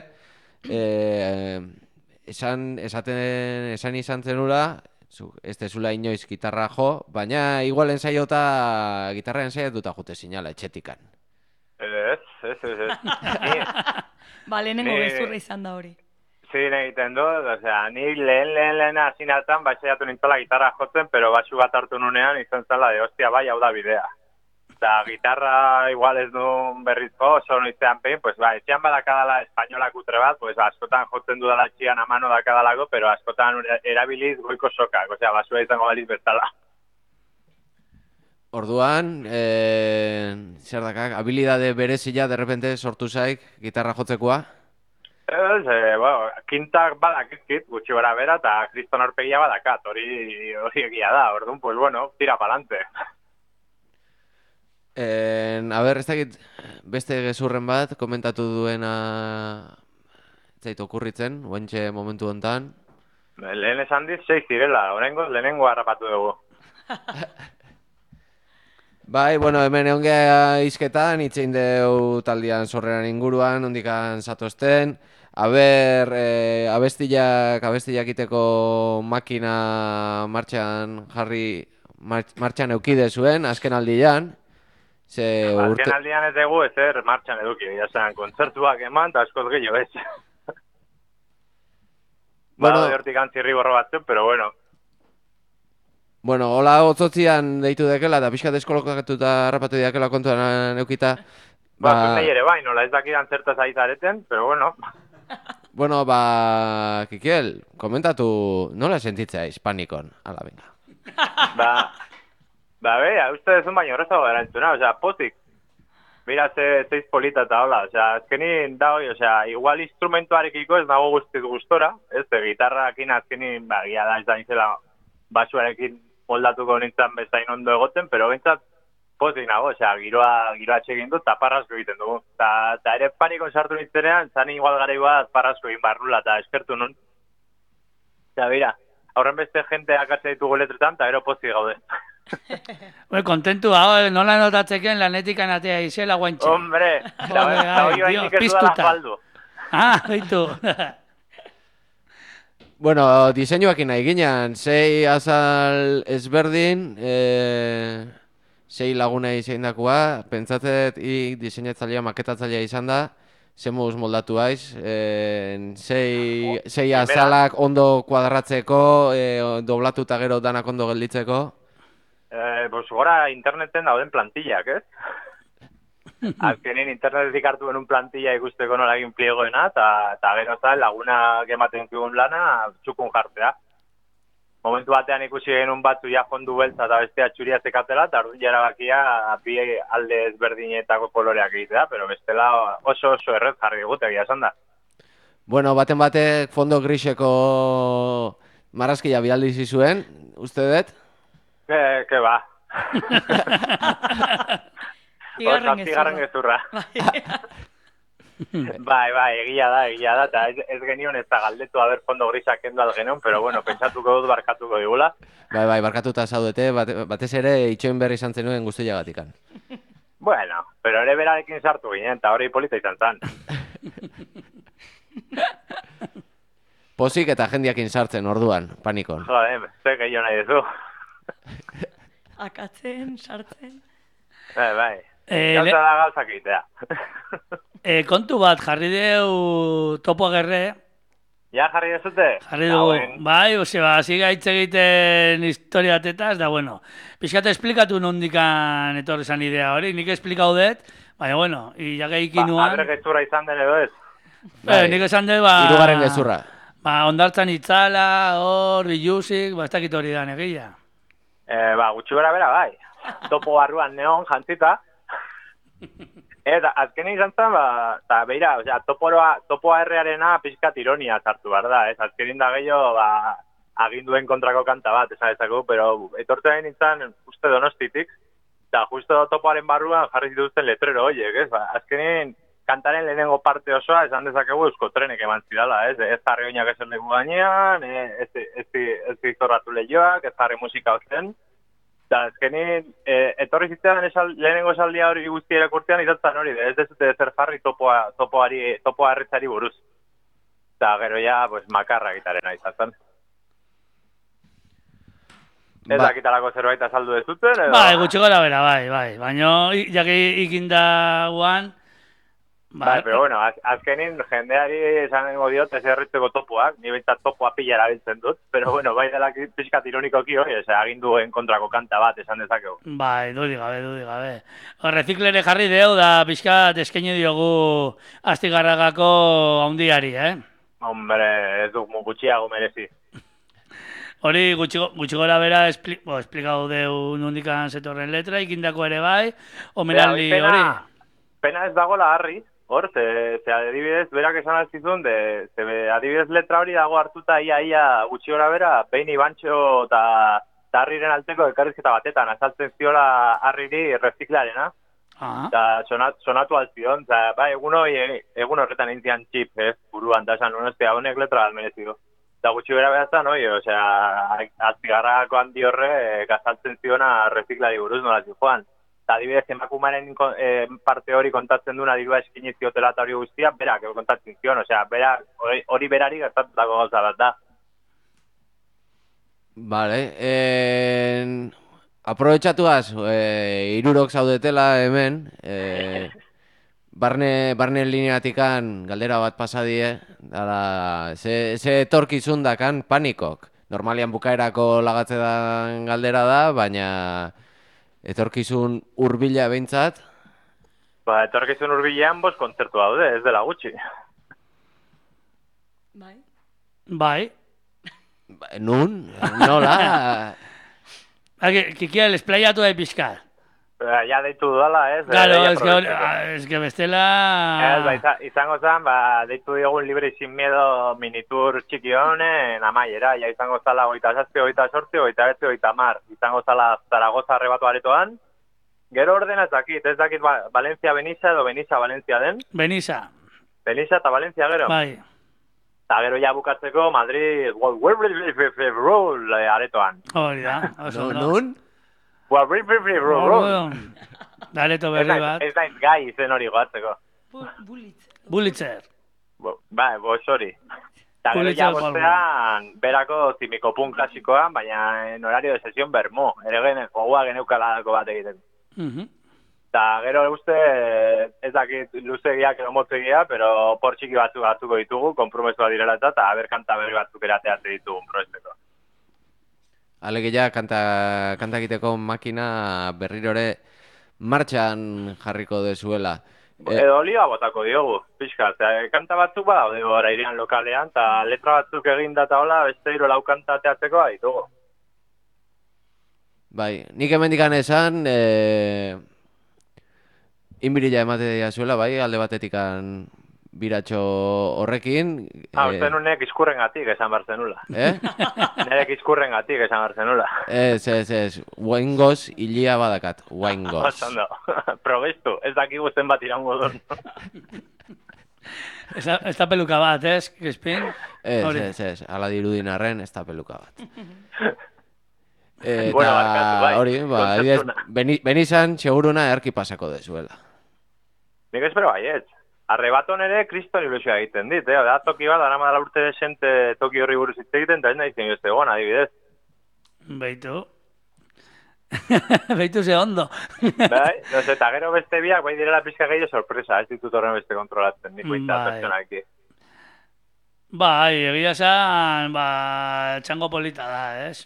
e, esan, esaten, esan izan zenula, zu, ez tezula inoiz gitarra jo, baina igual ensaiota, gitarra ensaiatuta jute zinala, etxetikan. Ez, ez, ez, ez. Ni, Ba, lehenengo Ni- gezurra izan da hori. zin egiten dut, osea, ni lehen lehen lehen hasi hartan baixaiatu nintzela gitarra jotzen, pero basu bat hartu nunean izan zela de, hostia, bai, hau da bidea. Eta gitarra igual ez duen berrizko, oso noizean pein, pues ba, etxean badakadala espainolak utre bat, pues askotan jotzen dudala txian amano dakadalako, pero askotan erabiliz goiko sokak, osea, basua izango baliz bezala. Orduan, e, zer dakak, habilidade berezila derrepente sortu zaik gitarra jotzekoa? Ez, e, bueno, kintak badakizkit, gutxi gara bera, eta kriston aurpegia badakat, hori hori egia da, orduan, pues bueno, tira palante. En, a ber, ez dakit beste gezurren bat komentatu duena zait okurritzen, oentxe momentu hontan. Lehen esan diz, sei zirela, oraingoz lehenengo harrapatu dugu. Bai, bueno, hemen egon geha izketan, itzein deu taldean sorreran inguruan, ondikan zatozten. A ber, e, abestiak, abestiak iteko makina martxan jarri, martx, martxan eukide zuen, azken aldian. Ze urte... Azken aldian ez dugu ezer martxan eduki, jasen, kontzertuak eman, eta askoz gehiago ez. Bueno, Bado hortik antzirri borro batzuk, pero bueno. Bueno, hola otzotzian deitu dekela, eta pixkat eskolokatuta harrapatu diakela kontuan eukita. Ba, ba nahi ere bai, nola ez dakidan zertaz aizareten, pero bueno. Bueno, ba, Kikiel, komentatu nola sentitzea hispanikon, ala venga. Ba, ba, bera, uste dezun baino horrezago erantzuna, osea, pozik. Mira, ze, zeiz polita eta hola, osea, azkenin da hoi, osea, igual instrumentuarekiko ez nago guztiz gustora, ez, de, gitarrakin azkenin, ba, gia da ez da nizela basuarekin moldatuko nintzen bezain ondo egoten, pero bentsat pozik nago, osea, giroa, giroa txegin dut, eta parrazko egiten dugu. Ta, ta ere panikon sartu nintzenean, zan igual gara bat parrazko egin barrula, eta eskertu nun. Eta bera, aurren beste jente akatzea ditugu letretan, eta ero pozik gaude. Ue, kontentu, hau, nola notatzeken lanetik anatea izela guantxe. Hombre, eta hori bainik ez dudala faldu. Ah, baitu. Bueno, diseinuakin nahi ginen, sei azal ezberdin, e, sei laguna izan dakoa, pentsatzet ik diseinatzailea, maketatzailea izan da, zemuz moldatu haiz, e, sei, sei azalak ondo kuadratzeko, e, doblatuta gero danak ondo gelditzeko. Eh, pues gora interneten dauden plantillak, ez? Azkenin internetetik hartu benun plantilla ikusteko nola egin pliegoena, eta gero zan laguna gematen zigun lana txukun jartzea. Momentu batean ikusi genuen batzu ja fondu beltza eta bestea txuria zekatela, eta orduan jarabakia bi alde ezberdinetako koloreak egitea, pero bestela oso oso errez jarri digute, egia esan da. Bueno, baten batek fondo griseko marrazkia bialdi zizuen, uste dut? Ke, ke ba. Bigarren Bigarren gezurra. Bai, bai, egia da, egia da, eta ez, ez genion ez da galdetu haber fondo grisak kendu algenon, pero bueno, pentsatuko dut barkatuko digula. Bai, bai, barkatuta zaudete, bate, batez ere itxoin berri izan zenuen guztiagatikan. Bueno, pero ere berarekin sartu ginen, eta hori polita izan zan. Pozik eta jendiakin sartzen orduan, panikon. Jode, ze gehiago nahi duzu. Akatzen, sartzen. Bai, bai. Eh, Gauza da gauzak egitea. eh, kontu bat, jarri deu topo agerre, Ja, jarri dezute? jarri dugu, bai, ose, ba, ziga hitz egiten historiatetaz, da, bueno, pixkate esplikatu nondikan etorri zan idea hori, nik esplikau dut, baina, bueno, iageik Ba, inuan, abre gezurra izan den edo ez. eh, nik esan dut, ba, Hirugarren gezurra. ba, ondartzan itzala, hor, biluzik, ba, ez dakit hori da negia. Eh, ba, gutxi bera bera, bai. Topo barruan neon jantzita. Eta azken izan zen, ba, eta beira, osea, toporoa, topoa errearena pixkat ironia sartu behar da, ez? Azkenin da gehiago, ba, aginduen kontrako kanta bat, esan ezako, pero etortzen nintzen uste Donostitik, eta justo topoaren barruan jarri zituzten letrero horiek, ez? Ba, azkenin kantaren lehenengo parte osoa, esan dezakegu euskotrenek eman zidala, ez? Ez jarri oinak esan leku gainean, ez, ez, ez izorratu lehioak, ez jarri musika ozen. Eta azkenin, e, etorri zitzean esal, lehenengo esaldia hori guzti erakurtean izatzen hori, ez dezute zer jarri topoa, topoari, topoa erretzari buruz. Eta gero ja, pues, makarra gitarena izatzen. Ez Ba- dakitalako zerbait azaldu dezuten, edo? Bai, gutxi gora bera, bai, bai. Baina, jaki ikinda guan, Bai, pero bueno, az, azkenin jendeari esango diot ez erritzeko topoak, ni behintzat topoa pila erabiltzen dut, pero bueno, bai dela pixkat ironikoki hori, ose, aginduen kontrako kanta bat esan dezakegu. bai, dudi gabe, dudi gabe. Reziklere jarri deu da pixkat eskaini diogu Astigarragako haundiari, eh? Hombre, ez duk mu gutxiago merezi. Hori gutxi, gutxi gora bera espli, bo, esplikau deu nondikan zetorren letra, ikindako ere bai, omenaldi Pena- hori. Pena ez dagoela harri, hor, ze, ze adibidez, berak esan altzizun, de, ze be, adibidez letra hori dago hartuta ia ia gutxi gora bera, behin Ibantxo eta harriren alteko elkarrizketa batetan, azaltzen ziola harriri reziklarena. Ah, Eta sonat, sonatu altzion, eta ba, egun hori, egun horretan intzian txip, ez, buruan, eta esan, honestia, honek letra almerezido. Eta gutxi bera behazan, oi, osea, Astigarragako handi horre, e, gazaltzen ziona reziklari buruz nola joan. Eta adibidez, emakumaren e, parte hori kontatzen duna dirua eskini ziotela eta hori guztia, berak kontatzen zion, osea, berak, hori, hori berari gertatutako gauza bat da. Vale, en... aprobetxatuaz, e, irurok zaudetela hemen, e, barne, barne lineatikan galdera bat pasadie, dara, ze, ze etorkizun dakan panikok. Normalian bukaerako lagatze dan galdera da, baina etorkizun hurbila behintzat. Ba, etorkizun hurbilean bost kontzertu daude, ez dela gutxi. Bai. bai. Ba, Nun, nola? Aki, kikia esplayatu da pixkat. Ba, ja deitu dudala, ez? Claro, eh, es que, hori- aprobetxeko. ah, es que bestela... Ez, ba, iza- izango zen, ba, deitu diogun libre y sin miedo minitur txiki honen amaiera, ja izango zala goita zazpi, goita sortzi, goita betzi, goita mar. Izango zala Zaragoza arrebatu aretoan. Gero ordena ez dakit, ez dakit ba, Valencia Benissa edo Benissa Valencia den. Benissa, Benissa eta Valencia gero. bai. Eta gero ja bukatzeko Madrid Roll aretoan. Hori da, oso No, ondo. nun? Roll. Dareto Ez berri naiz bat. ez naiz gai izen hori goatzeko. Bulitzer. Bulitzer. Bo- Ba, bos hori. Eta gero Pulitzer ja Goldman. bostean, berako zimikopun klasikoan, baina en horario de sesión bermo. Ere gene, gogoa geneukalako bat egiten. Mhm. Eta gero uste, ez dakit luzegiak edo motzegia, pero por txiki batzuk batzuko ditugu, konpromesua direla eta, eta aber kanta berri batzuk erateatze ditugun proesteko. Alegia kanta, kanta egiteko makina berrirore martxan jarriko dezuela. E, Edo olioa botako diogu, pixka, eta kanta batzuk badaude gora irian lokalean, eta letra batzuk eginda eta hola, beste hiru lau kanta teatzeko ditugu. bai, nik hemendikan esan, e, inbirila emate dira zuela, bai, alde batetikan biratxo horrekin. Ah, e, uste nunek izkurren gatik esan behar zenula. eh? Nerek izkurren gatik esan behar zenula. Ez, ez, ez, guaingoz hilia badakat, guaingoz. Oso ondo. Probestu, ez dakigu zenbat irango duen. Ez da, ez da peluka bat, ez, Crispin? Ez, Hori. ez, ez, ala dirudin arren, ez da peluka bat. Eta Bueno, barkatu, bai, hori, ba, adibidez, kontzeptuna. beni- benizan seguruna erki pasako dezuela. Nik espero baietz. Arrebaton ere kriston ilusioa egiten dit, eh? Da toki bat, dara madala urte desente toki horri buruz hitz egiten, eta ez nahi zen jozte egon, adibidez. Beitu. Beitu ze ondo. Bai, no sé, eta gero beste biak, bai direla pizka gehiago sorpresa, ez ditut horren beste kontrolatzen, nik baita Bai. pertsonaki. Bai, egia esan, ba, txango polita da, ez?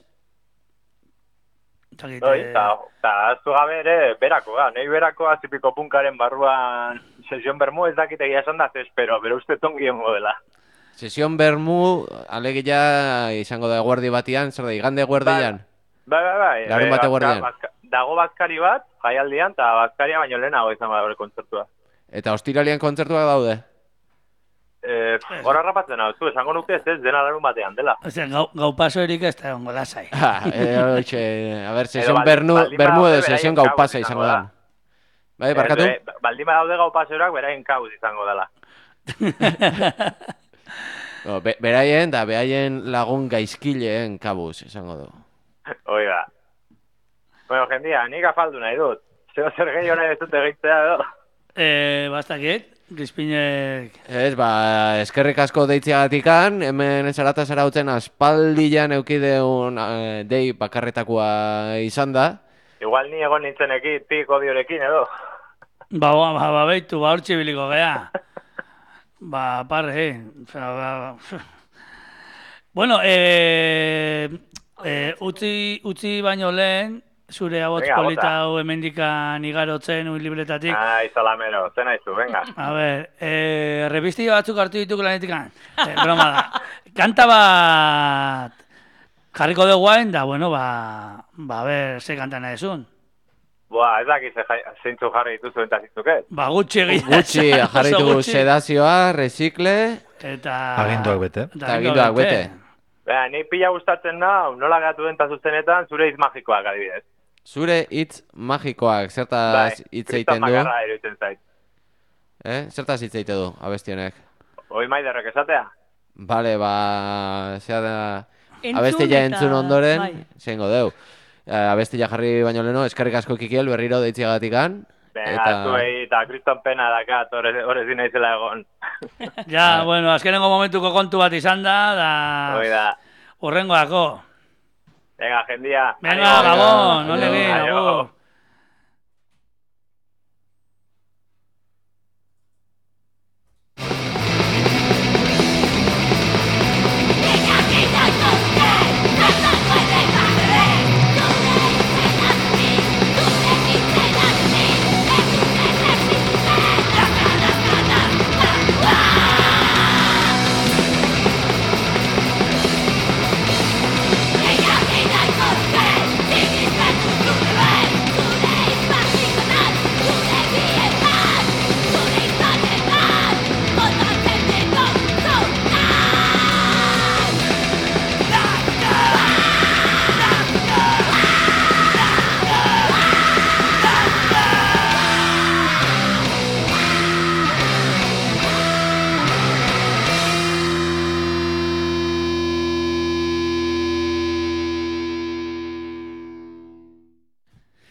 Zakit, Bai, eh, eta eta aztu gabe ere berako, ga, nahi berako azipiko punkaren barruan sesion bermu ez dakit egia esan da, ze espero, bero uste tongi hongo dela. Sesion bermu, alegia izango da eguerdi batian, zer da, igande eguerdian? Bai, bai, bai. Larun eh, bate bazka- guardian. bazka- Dago bazkari bat, jaialdian, eta bazkaria baino lehenago izan bada bere kontzertua. Eta ostiralian kontzertuak daude? Eh, Hora rapatzen hau, zu, esango nuke ez ez dena larun batean dela. Osea, gau, gau paso erik ez da ongo lasai. Ha, e, oitxe, a ber, sesion baldin- bernu, baldin bermu badaude edo sesion beraien gau kabuz pasa izango izango da. Bai, barkatu? Eh, be- Baldin badaude gau paseorak beraien kauz izango dela. No, be, beraien da behaien lagun gaizkileen kabuz, esango du. Oiga. Bueno, jendia, nik afaldu nahi dut. Zeo zer gehi hori ez dut egitea edo. Eh, bastakit, Crispinek... Ez, ba, eskerrik asko deitziagatikan, hemen zarata zarautzen aspaldian eukideun eh, dei bakarretakoa izan da. Igual ni egon nintzenekin, piko diorekin edo. Ba, ba, ba, ba, beitu, ba, hortxe biliko gea. Ba, parre, eh. Ba, ba. Bueno, eh, eh, utzi, utzi baino lehen, zure abotz Venga, polita bota. hau hemendikan igarotzen, ui libretatik. Ai, salamero, zen aizu, venga. A ber, eh, revistilla batzuk hartu dituk lanetikan. Eh, broma da. Kanta bat jarriko dugu hain, da, bueno, ba, ba, a ber, ze kanta nahi zun. Boa, ez dakit ze jai- zeintzu jarri dituzu eta zintzuk ez. Ba, gutxi egia. Gutxi esan, oso jarritu gutxi. sedazioa, resikle, Eta... Aginduak bete. Eta aginduak bete. Bea, ni pila gustatzen da, nola gatu den zuzenetan, zure hitz magikoak adibidez. zure hitz magikoak, Bai, zertaz hitz kriston egiten du? makarra iruditzen zait. Eh? Zertaz hitz egiten du, abestionek? Hoi maiderrek esatea? Bale, ba, zea da, Entzun abestia eta- entzun ondoren, bai. zengo deu. Eh, abestia jarri baino leno, eskerrik asko Kikiel berriro deitziagatikan. Venga, zuei eta kriston pena dakat, horrez dina izela egon. Ja, bueno, azkenengo momentuko kontu bat izan da, da... Hoi da. Urrengoako. Venga, jendia. Venga, Aio. Gabon, no aio, le aio. agur.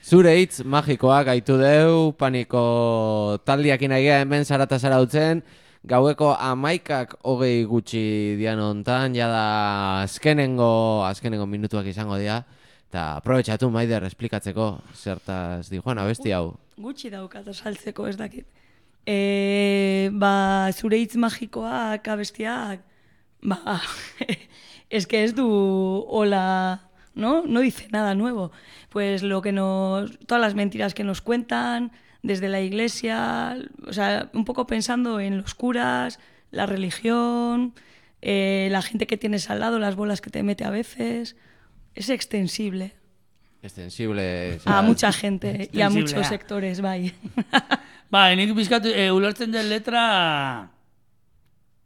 Zure hitz magikoak gaitu deu, paniko taldiakin aigea hemen zarata zarautzen, gaueko amaikak hogei gutxi dian hontan, jada azkenengo, azkenengo minutuak izango dira, eta aprobetxatu Maider esplikatzeko zertaz di Juan abesti hau. Gutxi daukat osaltzeko ez dakit. E, ba, zure hitz magikoak abestiak, ba, es que ez du hola, ¿no? No dice nada nuevo. Pues lo que nos, todas las mentiras que nos cuentan desde la iglesia, o sea, un poco pensando en los curas, la religión, eh, la gente que tienes al lado, las bolas que te mete a veces, es extensible. Extensible. A mucha gente y a Extensible, muchos ah. sectores, bai. Ba, nik bizkatu, e, ulertzen den letra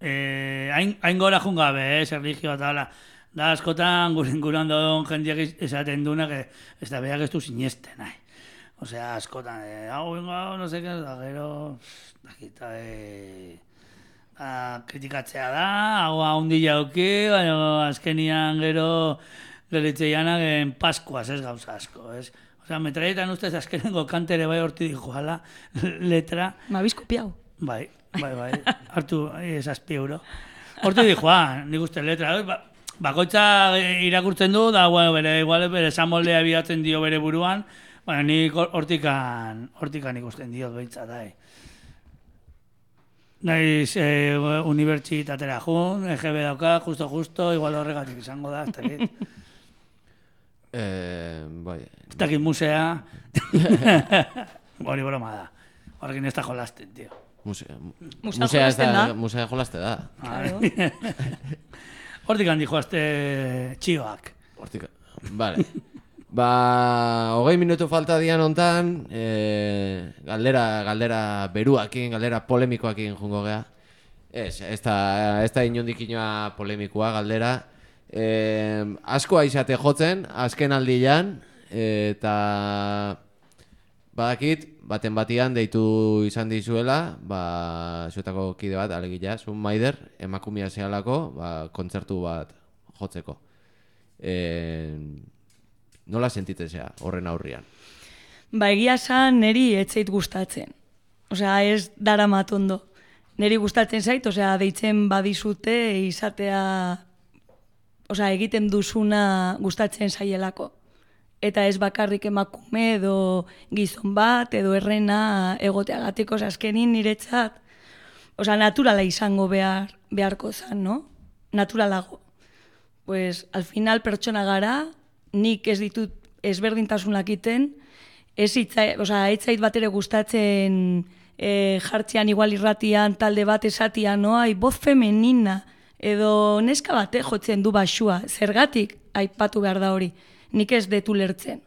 eh, hain, hain gora jungabe, eh, erlijioa eta hala. Da, askotan gure inguruan dauden jendeak esaten duna, que ez da beak ez du sinesten, nahi. Osea, askotan, eh, hau, hau, no sé qué, da, gero, dakita, eh, ba, kritikatzea da, hau haundi jauki, baina azkenian gero gelitzeianak en Paskuaz, ez gauza asko, ez? Osea, metraietan ustez azkenengo kantere bai horti dijoala letra, Me habéis copiado. bai, bai, bai, hartu esazpi euro. Horti dijoa, nik uste letra, ba, bakoitza irakurtzen du, da, bueno, bere, igual, bere esamoldea bilatzen dio bere buruan, baina nik hortikan, hortikan ikusten diot behintzat, da, Naiz eh, unibertsitatera jun, E G B dauka, justo-justo, igual horregatik izango da, ez dakit. Eh, bai. Ez dakit musea. Hori broma da. Horrekin ez da jolasten, tio. Musea, Musea musea ez jolasten da, da. musea jolaste da. Claro. Hortik handi joazte txioak. Hortik, vale. Ba, hogei minutu falta dian hontan, eh, galdera, galdera beruakin, galdera polemikoakin jungo gea. Ez, ez da, ez da inondik inoa polemikoa galdera. Eh, asko aizate jotzen, azken aldian, eta badakit, baten batian deitu izan dizuela, ba, zuetako kide bat, alegia, zun Maider, emakumia zehalako, ba, kontzertu bat jotzeko. Eh, nola sentitzen zea horren aurrian? Ba, egia esan neri etzeit gustatzen. osea, ez dara matondo. Neri gustatzen zait, osea, deitzen badizute izatea, osea, egiten duzuna gustatzen zaielako. Eta ez bakarrik emakume edo gizon bat edo errena egoteagatik, osea, azkenin niretzat, osea, naturala izango behar, beharko zan, no? Naturalago. Pues, al final pertsona gara, nik ez ditut ezberdintasunak iten, ez itzait, osea, itzait bat ere gustatzen e, jartzean igual irratian talde bat esatia, no? Ai, voz femenina, edo neska bate jotzen du baxua, zergatik aipatu behar da hori. Nik ez detu lertzen.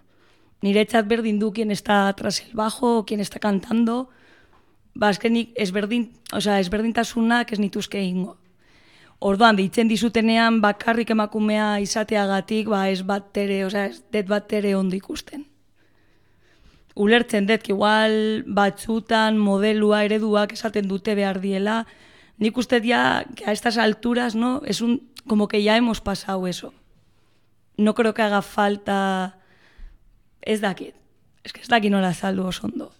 Niretzat berdin du quien está tras el bajo, quien está cantando, ba, azkenik ezberdin, osea, ezberdintasunak ez nituzke ingo. Orduan, deitzen dizutenean bakarrik emakumea izateagatik, ba, ez bat ere, osea, ez det bat ere ondo ikusten. Ulertzen dut, igual batzutan modelua, ereduak esaten dute behar diela, nik uste ya, que a estas alturas, no, es un, como que ya hemos pasado eso. No creo que haga falta, ez dakit, es que ez dakit nola azaldu oso ondo.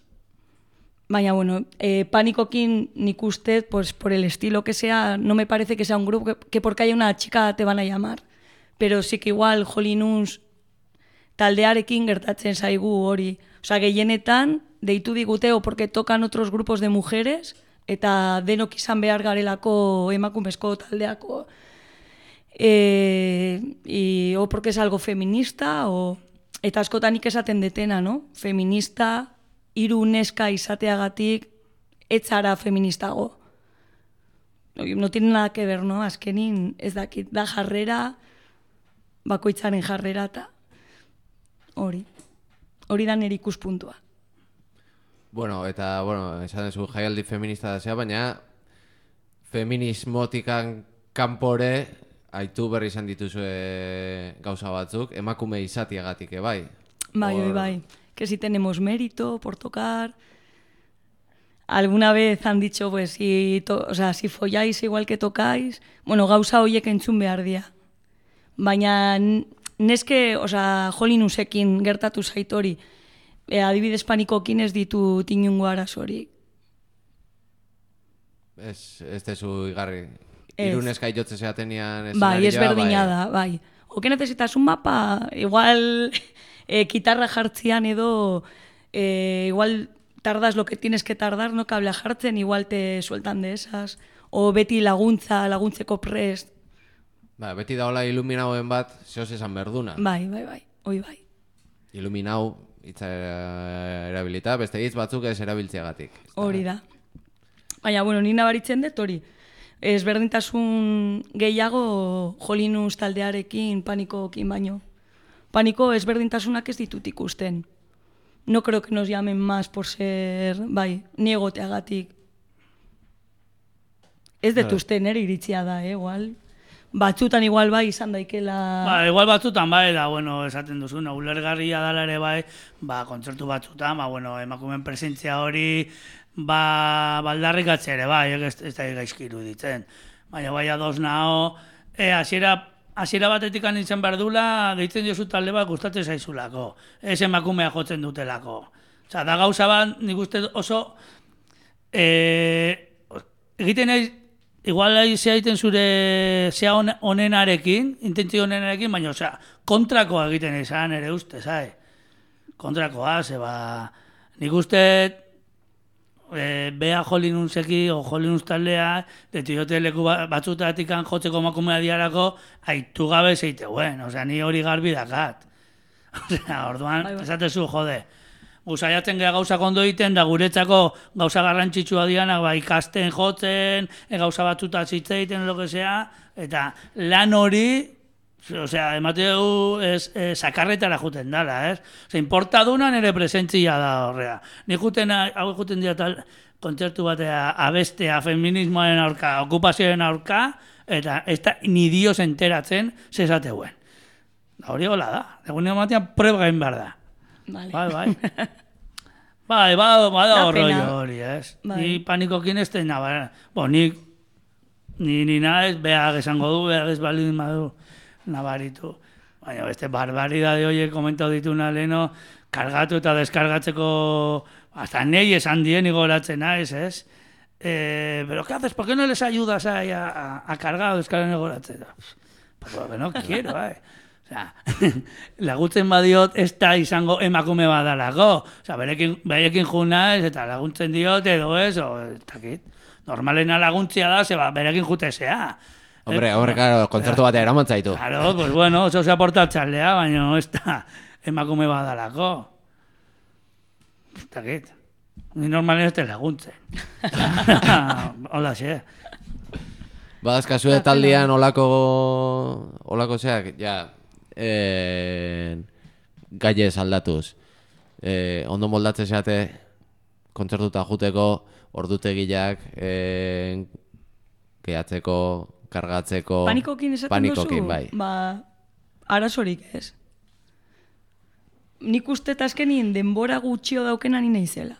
Baina, bueno, eh, Panikokin nik uste, pues por el estilo que sea, no me parece que sea un grupo que, que porque haya una chica te van a llamar. Pero sí que igual Jolinuns taldearekin gertatzen zaigu hori. Osea, gehienetan deitu digute o porque tocan otros grupos de mujeres eta denok izan behar garelako emakumezko taldeako. Eh, y, o porque es algo feminista, o, eta askotan nik esaten detena, no? Feminista, hiru neska izateagatik, etzara feministago. No tiene nada que ver, no? Azkenin, ez dakit, da jarrera, bakoitzaren jarrera, eta hori. Hori da nire ikuspuntua. Bueno, eta, bueno, esan dezu jaialdi feminista da zea, baina feminismotikan kanpore aitu berri izan dituzue gauza batzuk, emakume izatiagatik, bai? Bai, bai, bai. Que si tenemos mérito por tocar. Alguna vez han dicho, pues, si, to, o sea, si folláis igual que tocáis, bueno, gauza horiek entzun behar dia. Baina neske, o sea, Jolinusekin gertatu zait hori, e, adibidez Panikokin ez ditu tinungo arazorik. Ez, ez dezu igarri. Ez. Hiru neska jotze zeatenian Bai, eszenarioa, ez berdina da, bai. O que necesitas un mapa, igual eh, kitarra jartzean edo, eh, igual tardas lo que tienes que tardar, no kable jartzen, igual te sueltan de esas. O beti laguntza, laguntzeko prest. Ba, beti da hola iluminauen bat, zehoz esan berduna. Bai, bai, bai, hoi bai. Iluminau, hitza erabilita, beste hitz batzuk ez erabiltzeagatik. Hori da. Baina, bueno, ni nabaritzen dut hori. Ezberdintasun gehiago Jolinus taldearekin, Panikokin baino. Paniko ezberdintasunak ez ditut ikusten. No creo que nos llamen más por ser, bai, ni egoteagatik. Ez dut uste nere iritzia da, eh, igual. Batzutan igual bai izan daikela... Ba, igual batzutan bai, da, bueno, esaten duzu, no, ulergarria dala ere bai, ba, kontzertu batzutan, ba, bueno, emakumen presentzia hori, ba, baldarrikatzea ere bai, ez, ez da gaizki iruditzen. Baina bai ados nao, e, hasiera hasiera batetik nintzen behar dula, deitzen diozu talde bat gustatzen zaizulako, ez emakumea jotzen dutelako. Osa, da gauza bat, nik uste oso, e, egiten nahi, igual zea egiten zure zea onenarekin, intentzio onenarekin, baina, osea, kontrakoa egiten izan ere uste, zai? Kontrakoa, zeba, nik uste, e, bea Jolinuseki, o Jolinus taldea, detiote leku batzutatik jotzeko emakumea diarako, aitu gabe zeiteuen, osea, ni hori garbi dakat. Osea, orduan, esatezu, jode, guzaiatzen geha gauza kondo egiten, da guretzako gauza garrantzitsua dianak, ba, ikasten jotzen, e, gauza batzuta zitzeiten, lo que sea, eta lan hori, osea, emateu ez, e, sakarretara juten dala, ez? Osea, importa duna nire presentzia da horrea. Nik juten, hau juten dira tal, kontzertu batea abestea feminismoaren aurka, okupazioaren aurka, eta ez da ni dios enteratzen zezateuen. Hori hola da, egun ematean prueba gain behar da. Vale. Bai, bai. Bai, bada ba, horroi hori, ez? Bai. Ni Panikokin ez da nabara. Bo, ni, ni, ni naiz, behar esango du, behar ez balin madu nabaritu. Baina beste barbaridade horiek komentau dituna leheno, kargatu eta deskargatzeko hasta nei esan dien igoratzen naiz, ez? Eh, pero ¿qué haces? ¿Por qué no les ayudas a, a, a cargar o eskaren igoratzen? Pues porque no quiero, eh. O sea, laguntzen badiot ez da izango emakume badalako. O sea, berekin, berekin jun naiz eta laguntzen diot edo ez, o, ez dakit. Normalena laguntzia da, zeba, berekin jutezea. Hombre, hombre, claro, kontzertu batea eraman zaitu. Claro, pues bueno, oso ze aportatxalea, baina ez da emakume badalako. Ez dakit. Ni normalen ez te laguntzen. Hola, xe. Badazkazue taldean olako, olako zeak, ja, eh, gaiez aldatuz. Eh, ondo moldatze zeate, kontzertuta juteko, ordutegiak, eh, gehatzeko, kargatzeko... Panikokin esaten panikokin, duzu? Bai. Ba, arazorik ez. Nik uste azkenien denbora gutxio daukena ni naizela.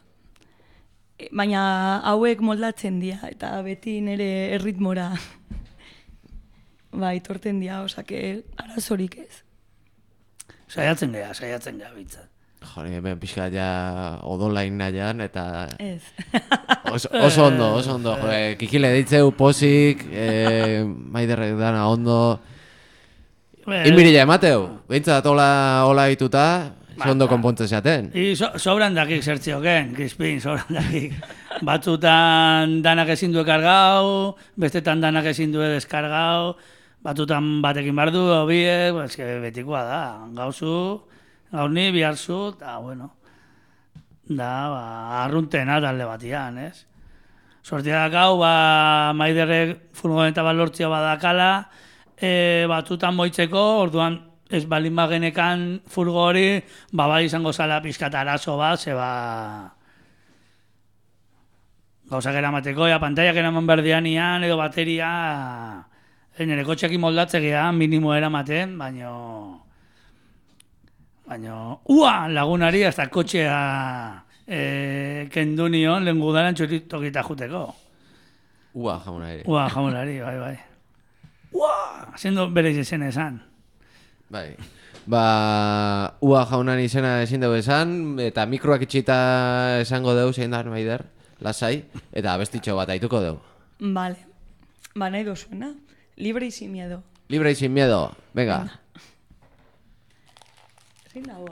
Baina hauek moldatzen dira, eta beti nire erritmora ba, itorten dira, osake arazorik ez. Saiatzen geha, saiatzen geha bitzat. Jori, hemen pixka ja odolain nahian, eta... Ez. Oso, oso ondo, oso ondo. Jore, kikile ditzeu posik, eh, maiderrek dana ondo... Inbirila emateu, behintzat hola, hola dituta, ze ondo konpontze zaten. I so, sobran dakik zertzioken, Crispin, sobran dakik. Batzutan danak ezin du ekargau, bestetan danak ezin du deskargau, batzutan batekin bardu, obiek, pues, que betikoa da, gauzu, gaur ni, biharzu, eta bueno, da, ba, arruntena talde batian, ez? Sortia dakau, ba, maiderrek furgoneta bat lortzia badakala, e, batzutan moitzeko, orduan ez balin bagenekan furgo hori, ba, bai izango zala pixkat arazo bat, ze ba... gauzak eramateko, ja, pantaiak eraman berdianian, edo bateria... E, nire kotxekin moldatzea minimo eramaten, baino... Baino... Ua! Lagunari hasta kotxea e, kendu nion, lehen gudaran txuritokita juteko. Ua, jamunari. Ua, jamunari, bai, bai. Ua! Zendo bere izen esan. Bai. Ba, ua jaunan izena ezin dugu esan, eta mikroak itxita esango dugu, zein da, maider, lasai, eta abestitxo bat aituko dugu. Vale. Ba, nahi dozuena. Libre y sin miedo. Libre y sin miedo. Venga. Zein dago?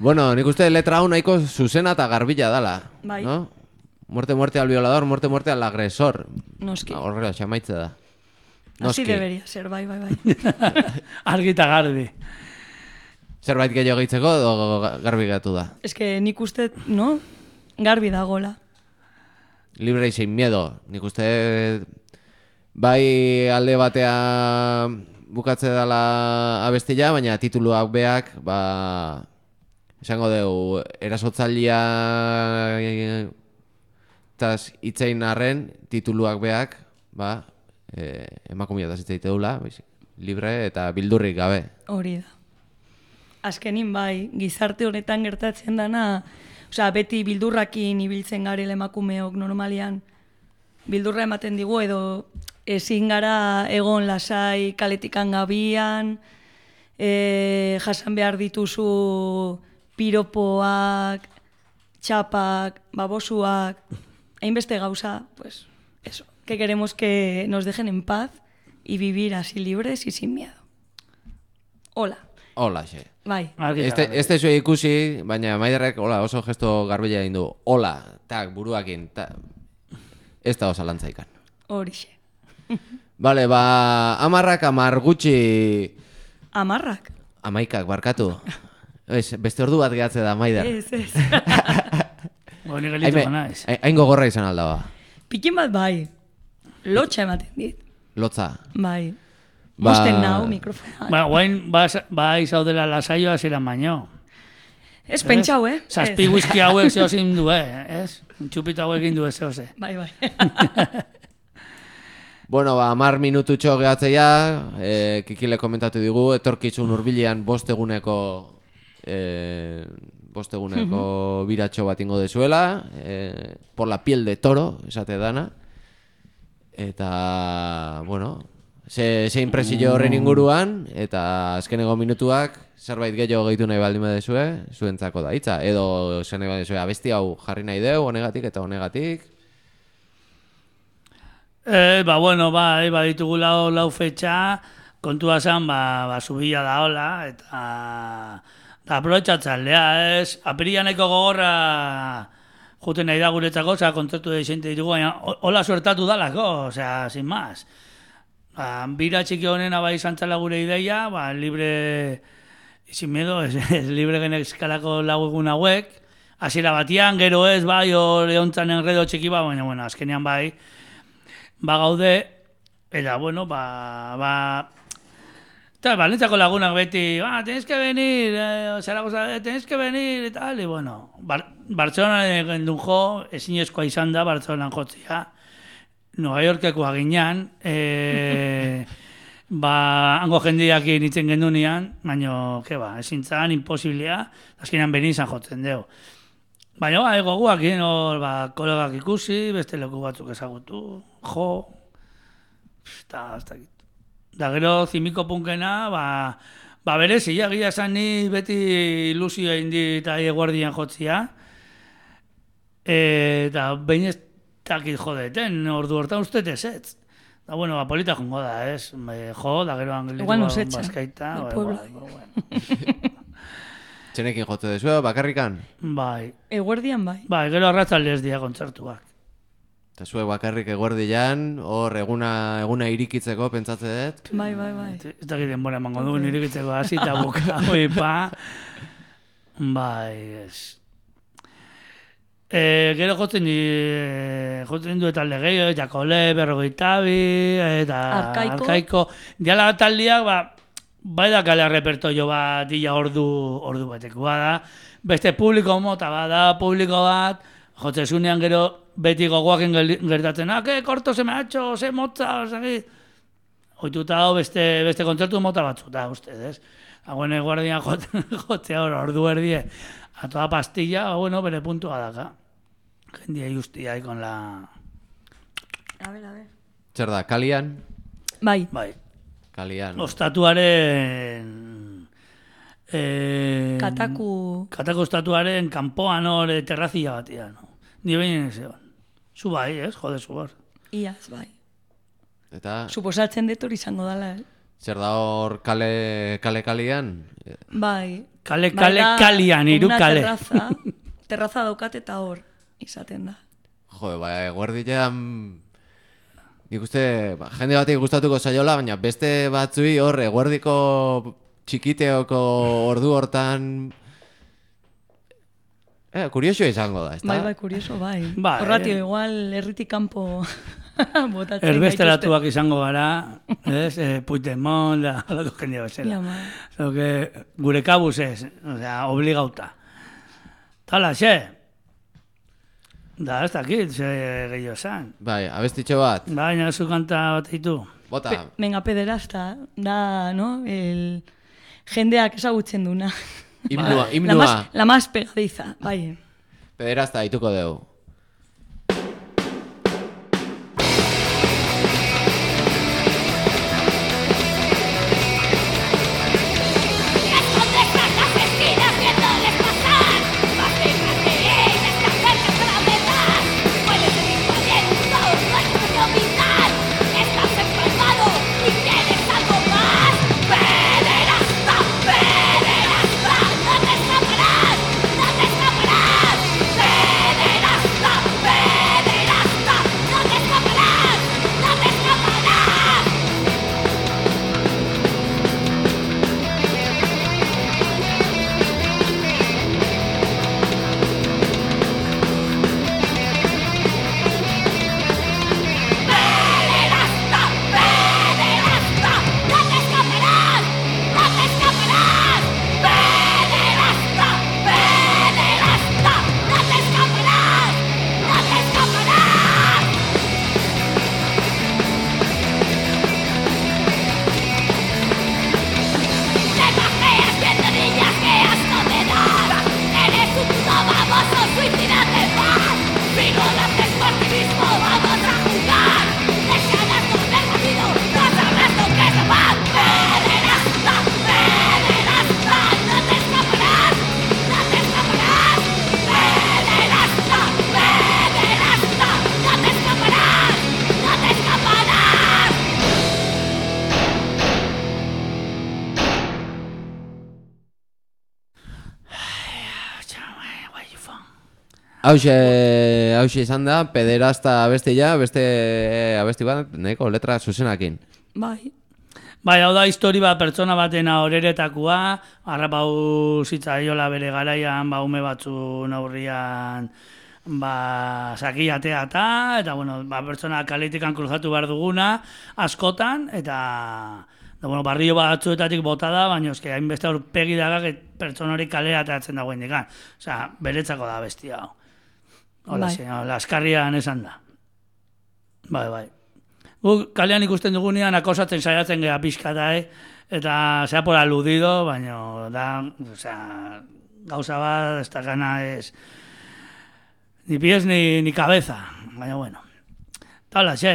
Bueno, nik uste letra hau nahiko zuzena eta garbila dala. Bai. No? Muerte, muerte al violador, muerte, muerte al agresor. Noski. Horrela, xamaitze da. Así debería ser, bai, bai, bai. Argita garbi. Zerbait gehiago gehitzeko edo garbi gatu da. Ez que nik uste, no? Garbi dagola. Libre y sin miedo. Nik uste bai alde batea bukatze dela abestia, baina tituluak beak, ba... esango dugu, erasotzailea taz itzein arren, tituluak beak, ba, e, emakumia taz itzeite dula, libre eta bildurrik gabe. Hori da. Azkenin bai, gizarte honetan gertatzen dana, osea, beti bildurrakin ibiltzen garela emakumeok normalian, bildurra ematen digu edo ezin gara egon lasai kaletikan gabian, e, jasan behar dituzu piropoak, txapak, babosuak, hainbeste gauza, pues, eso, que queremos que nos dejen en paz y vivir así libres y sin miedo. Hola. Hola, xe. Bai. Argi eta Este, garbi. este zue ikusi, baina Maiderrek hola, oso gesto garbila egin du. Hola, tak, buruakin, tak. Ez da osa lantzaikan. Horixe. Bale, ba, amarrak amar gutxi... Amarrak. Amaikak, barkatu. Ez, beste ordu bat gehatze da, Maider. Ez, ez. Honi gelituko naiz. Hain gogorra izan alda ba. Pikin bat bai. Lotxa ematen dit. Lotza. Bai. Ba- Mosten nau mikrofona. Ba, guain, ba, ba izaudela lasaioa ziren baino. Ez pentsau, eh? Zazpi Ez. whisky hauek zehozin du, eh? Ez? Txupita hauek egin du ez zehose. Bai, bai. Bueno, ba, amar minututxo gehatzeia, e, Kikile komentatu digu, etorkizun hurbilean bost eguneko, e, bost eguneko biratxo bat ingo dezuela, e, por la piel de toro, esate dana. Eta, bueno, ze, ze impresio horren inguruan, eta azkeneko minutuak, zerbait gehiago gehitu nahi baldin badezue, zuentzako da hitza. Edo zen nahi badezue, abesti hau jarri nahi deu, honegatik eta honegatik. Eh, ba, bueno, ba, eh, ba ditugu lau, lau fetxa, kontua zen, ba, ba subila da hola, eta da aprobetxatzaldea, ez? Apirianeko gogorra juten nahi da guretzako, osea, kontzertu de xente ditugu, baina hola suertatu dalako, osea, sin más. Ba, bira txiki honena bai izan txala gure ideia, ba, libre, sin miedo, ez, ez libre genek eskalako lau egun hauek, hasiera batian, gero ez, bai, hor eontzan enredo txiki ba, baina, bueno, azkenean bai, ba gaude, eta, bueno, ba, ba, eta, Balentzako lagunak beti, ah, tenés que venir, eh, Zaragoza, eh, tenés que venir, eta, tal, y bueno, Bar Bartzelonan gendun jo, ezinezkoa izan da, Bartzelonan jotzia, Nueva Yorkekoa ginean, eh, ba, hango jendeak nintzen gendunean, baina, ke ba, ezin zan, imposiblea, azkenean beni izan jotzen deu. Baina, ba, ego guak, hor, ba, kolegak ikusi, beste leku batzuk ezagutu, jo, eta, ez dakit. Da gero, zimiko punkena, ba, ba berezi, egia esan ni beti ilusio egin dit aie guardian jotzia, eta behin ez dakit jodeten, ordu hortan ustez ez ez. Da, bueno, ba, polita jongo da, ez? Me, jo, da gero angelitu Igual nos echa, bazkaita. del ba, pueblo. igual, bueno. Txenekin jote dezu, bakarrikan? Bai, Eguerdian bai. bai, gero arratzaldez dia kontzertuak. Eta zuek bakarrik eguerdian, hor eguna, eguna irikitzeko pentsatzen dut. Bai, bai, bai. Ez dakit denbora emango du, nirikitzeko hasi eta buka, oi, pa. Bai, ez. E, gero jotzen di, jotzen du talde gehiago, Jakole, Berrogeitabi, eta Arkaiko. Arkaiko. Diala taldiak, ba, bai da kale repertorio bat, dila ordu, ordu batekoa da. Beste publiko mota bada, publiko bat, jotzezunean gero beti gogoaken gertatzen, ah, que korto se me ha hecho, se motza, osagi. Oituta hau beste, beste kontzertu mota batzuta, ustez, Agüene guardian jotzea hor, ordu erdie, a toda pastilla, bueno, bere puntua daka. Jendia justia ahí con la... A ver, a ver. Zer da, kalian? Bai. Bai, Kalian. ostatuaren... Eh, Kataku. Katako ostatuaren kanpoan hor eh, terrazia batia, no? Ni behin ez egon. Zu bai, ez? Jode, zu hor. Iaz, bai. Eta Suposatzen dut hori izango dela, eh? zer da hor kale, kale kalian? Bai. Kale, Bai, kale, da kalian, hiru una kale. Terraza, terraza daukat eta hor izaten da. Jo, ba, eguerdian... Nik uste, ba, jende batik gustatuko zaiola, baina beste batzui hor eguerdiko txikiteoko ordu hortan... Eh, kurioso izango da, ezta? Bai, bai, kurioso, bai. Bai, Horratio, eh. igual, herritik kanpo botatzen Erbesteratuak izango gara, ez? Eh, Puigdemont, da, alako jendea bezala. Ja, bai. Lo que gure kabuz ez, o sea, obligauta. Tala, xe. Da, ez dakit, ze gehiago esan. Bai, abestitxo bat. Baina, zu kanta bat ditu. Bota, Pe, venga, pederasta, da, no? El jendeak ezagutzen duna. himnua, La himnua. más, la más pegadiza, bai. Pederasta dituko dugu. Estás empalmado y quieres algo más. Pederasta, pederasta. Hauxe, hauxe izan da, pederasta abestia, beste abesti bat, nahiko letra zuzenakin. Bai. Bai, hau da histori bat pertsona batena horeretakua, harrapau zitzaiola bere garaian, ba, ume batzun aurrian, ba, sakiatea eta, eta, bueno, ba, pertsona kaletikan kruzatu behar duguna, askotan, eta, da, bueno, barrio batzuetatik bota da, baina eske hainbeste aurpegi dagak pertsona hori kalera ateratzen dagoen dikan. Osea, beretzako da bestia hau. Hola, Bai. bai. Laskarrian esan da. Bai, bai. Guk kalean ikusten dugunean akosatzen saiatzen geha pixkata, eh? Eta sea por aludido, baina da, osea, gauza bat, ez da gana ez, ni pies ni, ni cabeza, baina bueno. Eta hola, xe.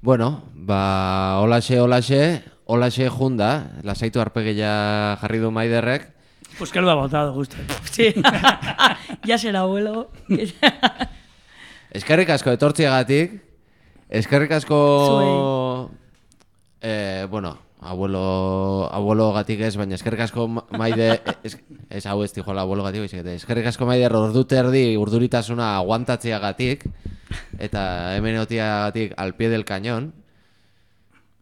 Bueno, ba, holaxe, holaxe, holaxe junda, lasaitu arpegia jarri du Maiderrek. Pues que lo ha votado, justo. Sí. Ya será abuelo. Eskerrik asko etortziagatik, eskerrik asko, eh, bueno, abuelo, abuelo gatik ez, baina eskerrik asko Maide, es, ez hau ez dijola abuelo gatik, eskerrik asko Maide ordu terdi urduritasuna aguantatziagatik, eta hemen otiagatik al pie del cañón,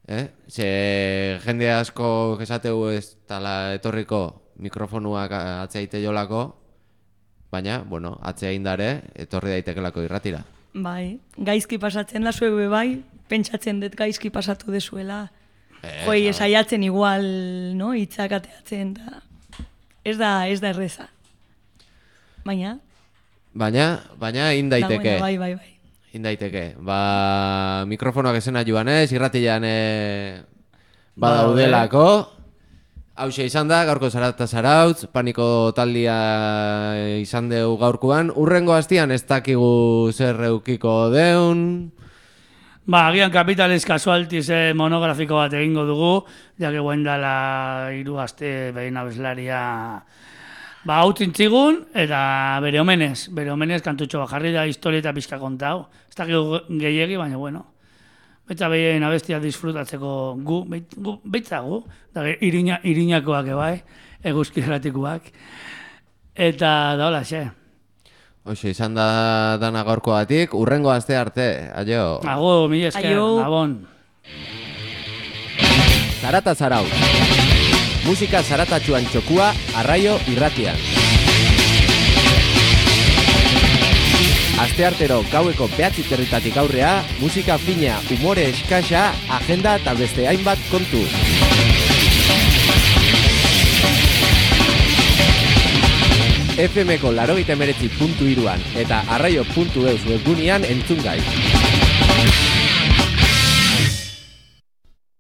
eh? Ze jende asko esateu ez tala etorriko mikrofonuak atzeite jolako, baina, bueno, atzea indare, etorri daitekelako irratira. Bai, gaizki pasatzen da zuebe bai, pentsatzen dut gaizki pasatu dezuela. Eh, Joi, sabe. esaiatzen igual, no, hitzak ateatzen, da. Ez da, ez da erreza. Baina, Baina, baina indaiteke. dagoena, bai, bai, bai. Indaiteke. Ba, mikrofonoak esena joanez, irratian e, badaudelako. Hauxe izan da, gaurko Zarata Zarautz, paniko taldia izan deu gaurkoan. Urrengo hastian ez dakigu zer eukiko deun. Ba, agian Capitales Casualties eh, monografiko bat egingo dugu, jake guen dala hiru aste behin abeslaria ba, hau tzigun, eta bere omenez, bere omenez kantutxo bat jarri da historia eta pixka kontau. Ez dakigu gehiegi, baina bueno. Betza behien abestia disfrutatzeko gu, beit, gu betza gu, da, irina, irinakoak ebai, eguzki erratikuak. Eta da hola, xe. Hoxe izan da dana gaurkoatik, urrengo aste arte, aio. Ago, mila esker, Aio. gabon. Zarata Zarautz. Musika zaratatxuan txokua, arraio irratian. Asteartero gaueko behatzi territatik aurrea, musika fina, umore eskasa, agenda eta beste hainbat kontu. F Mko larogeita hemeretzi puntu hiruan eta arraio puntu eus webgunean entzun gai.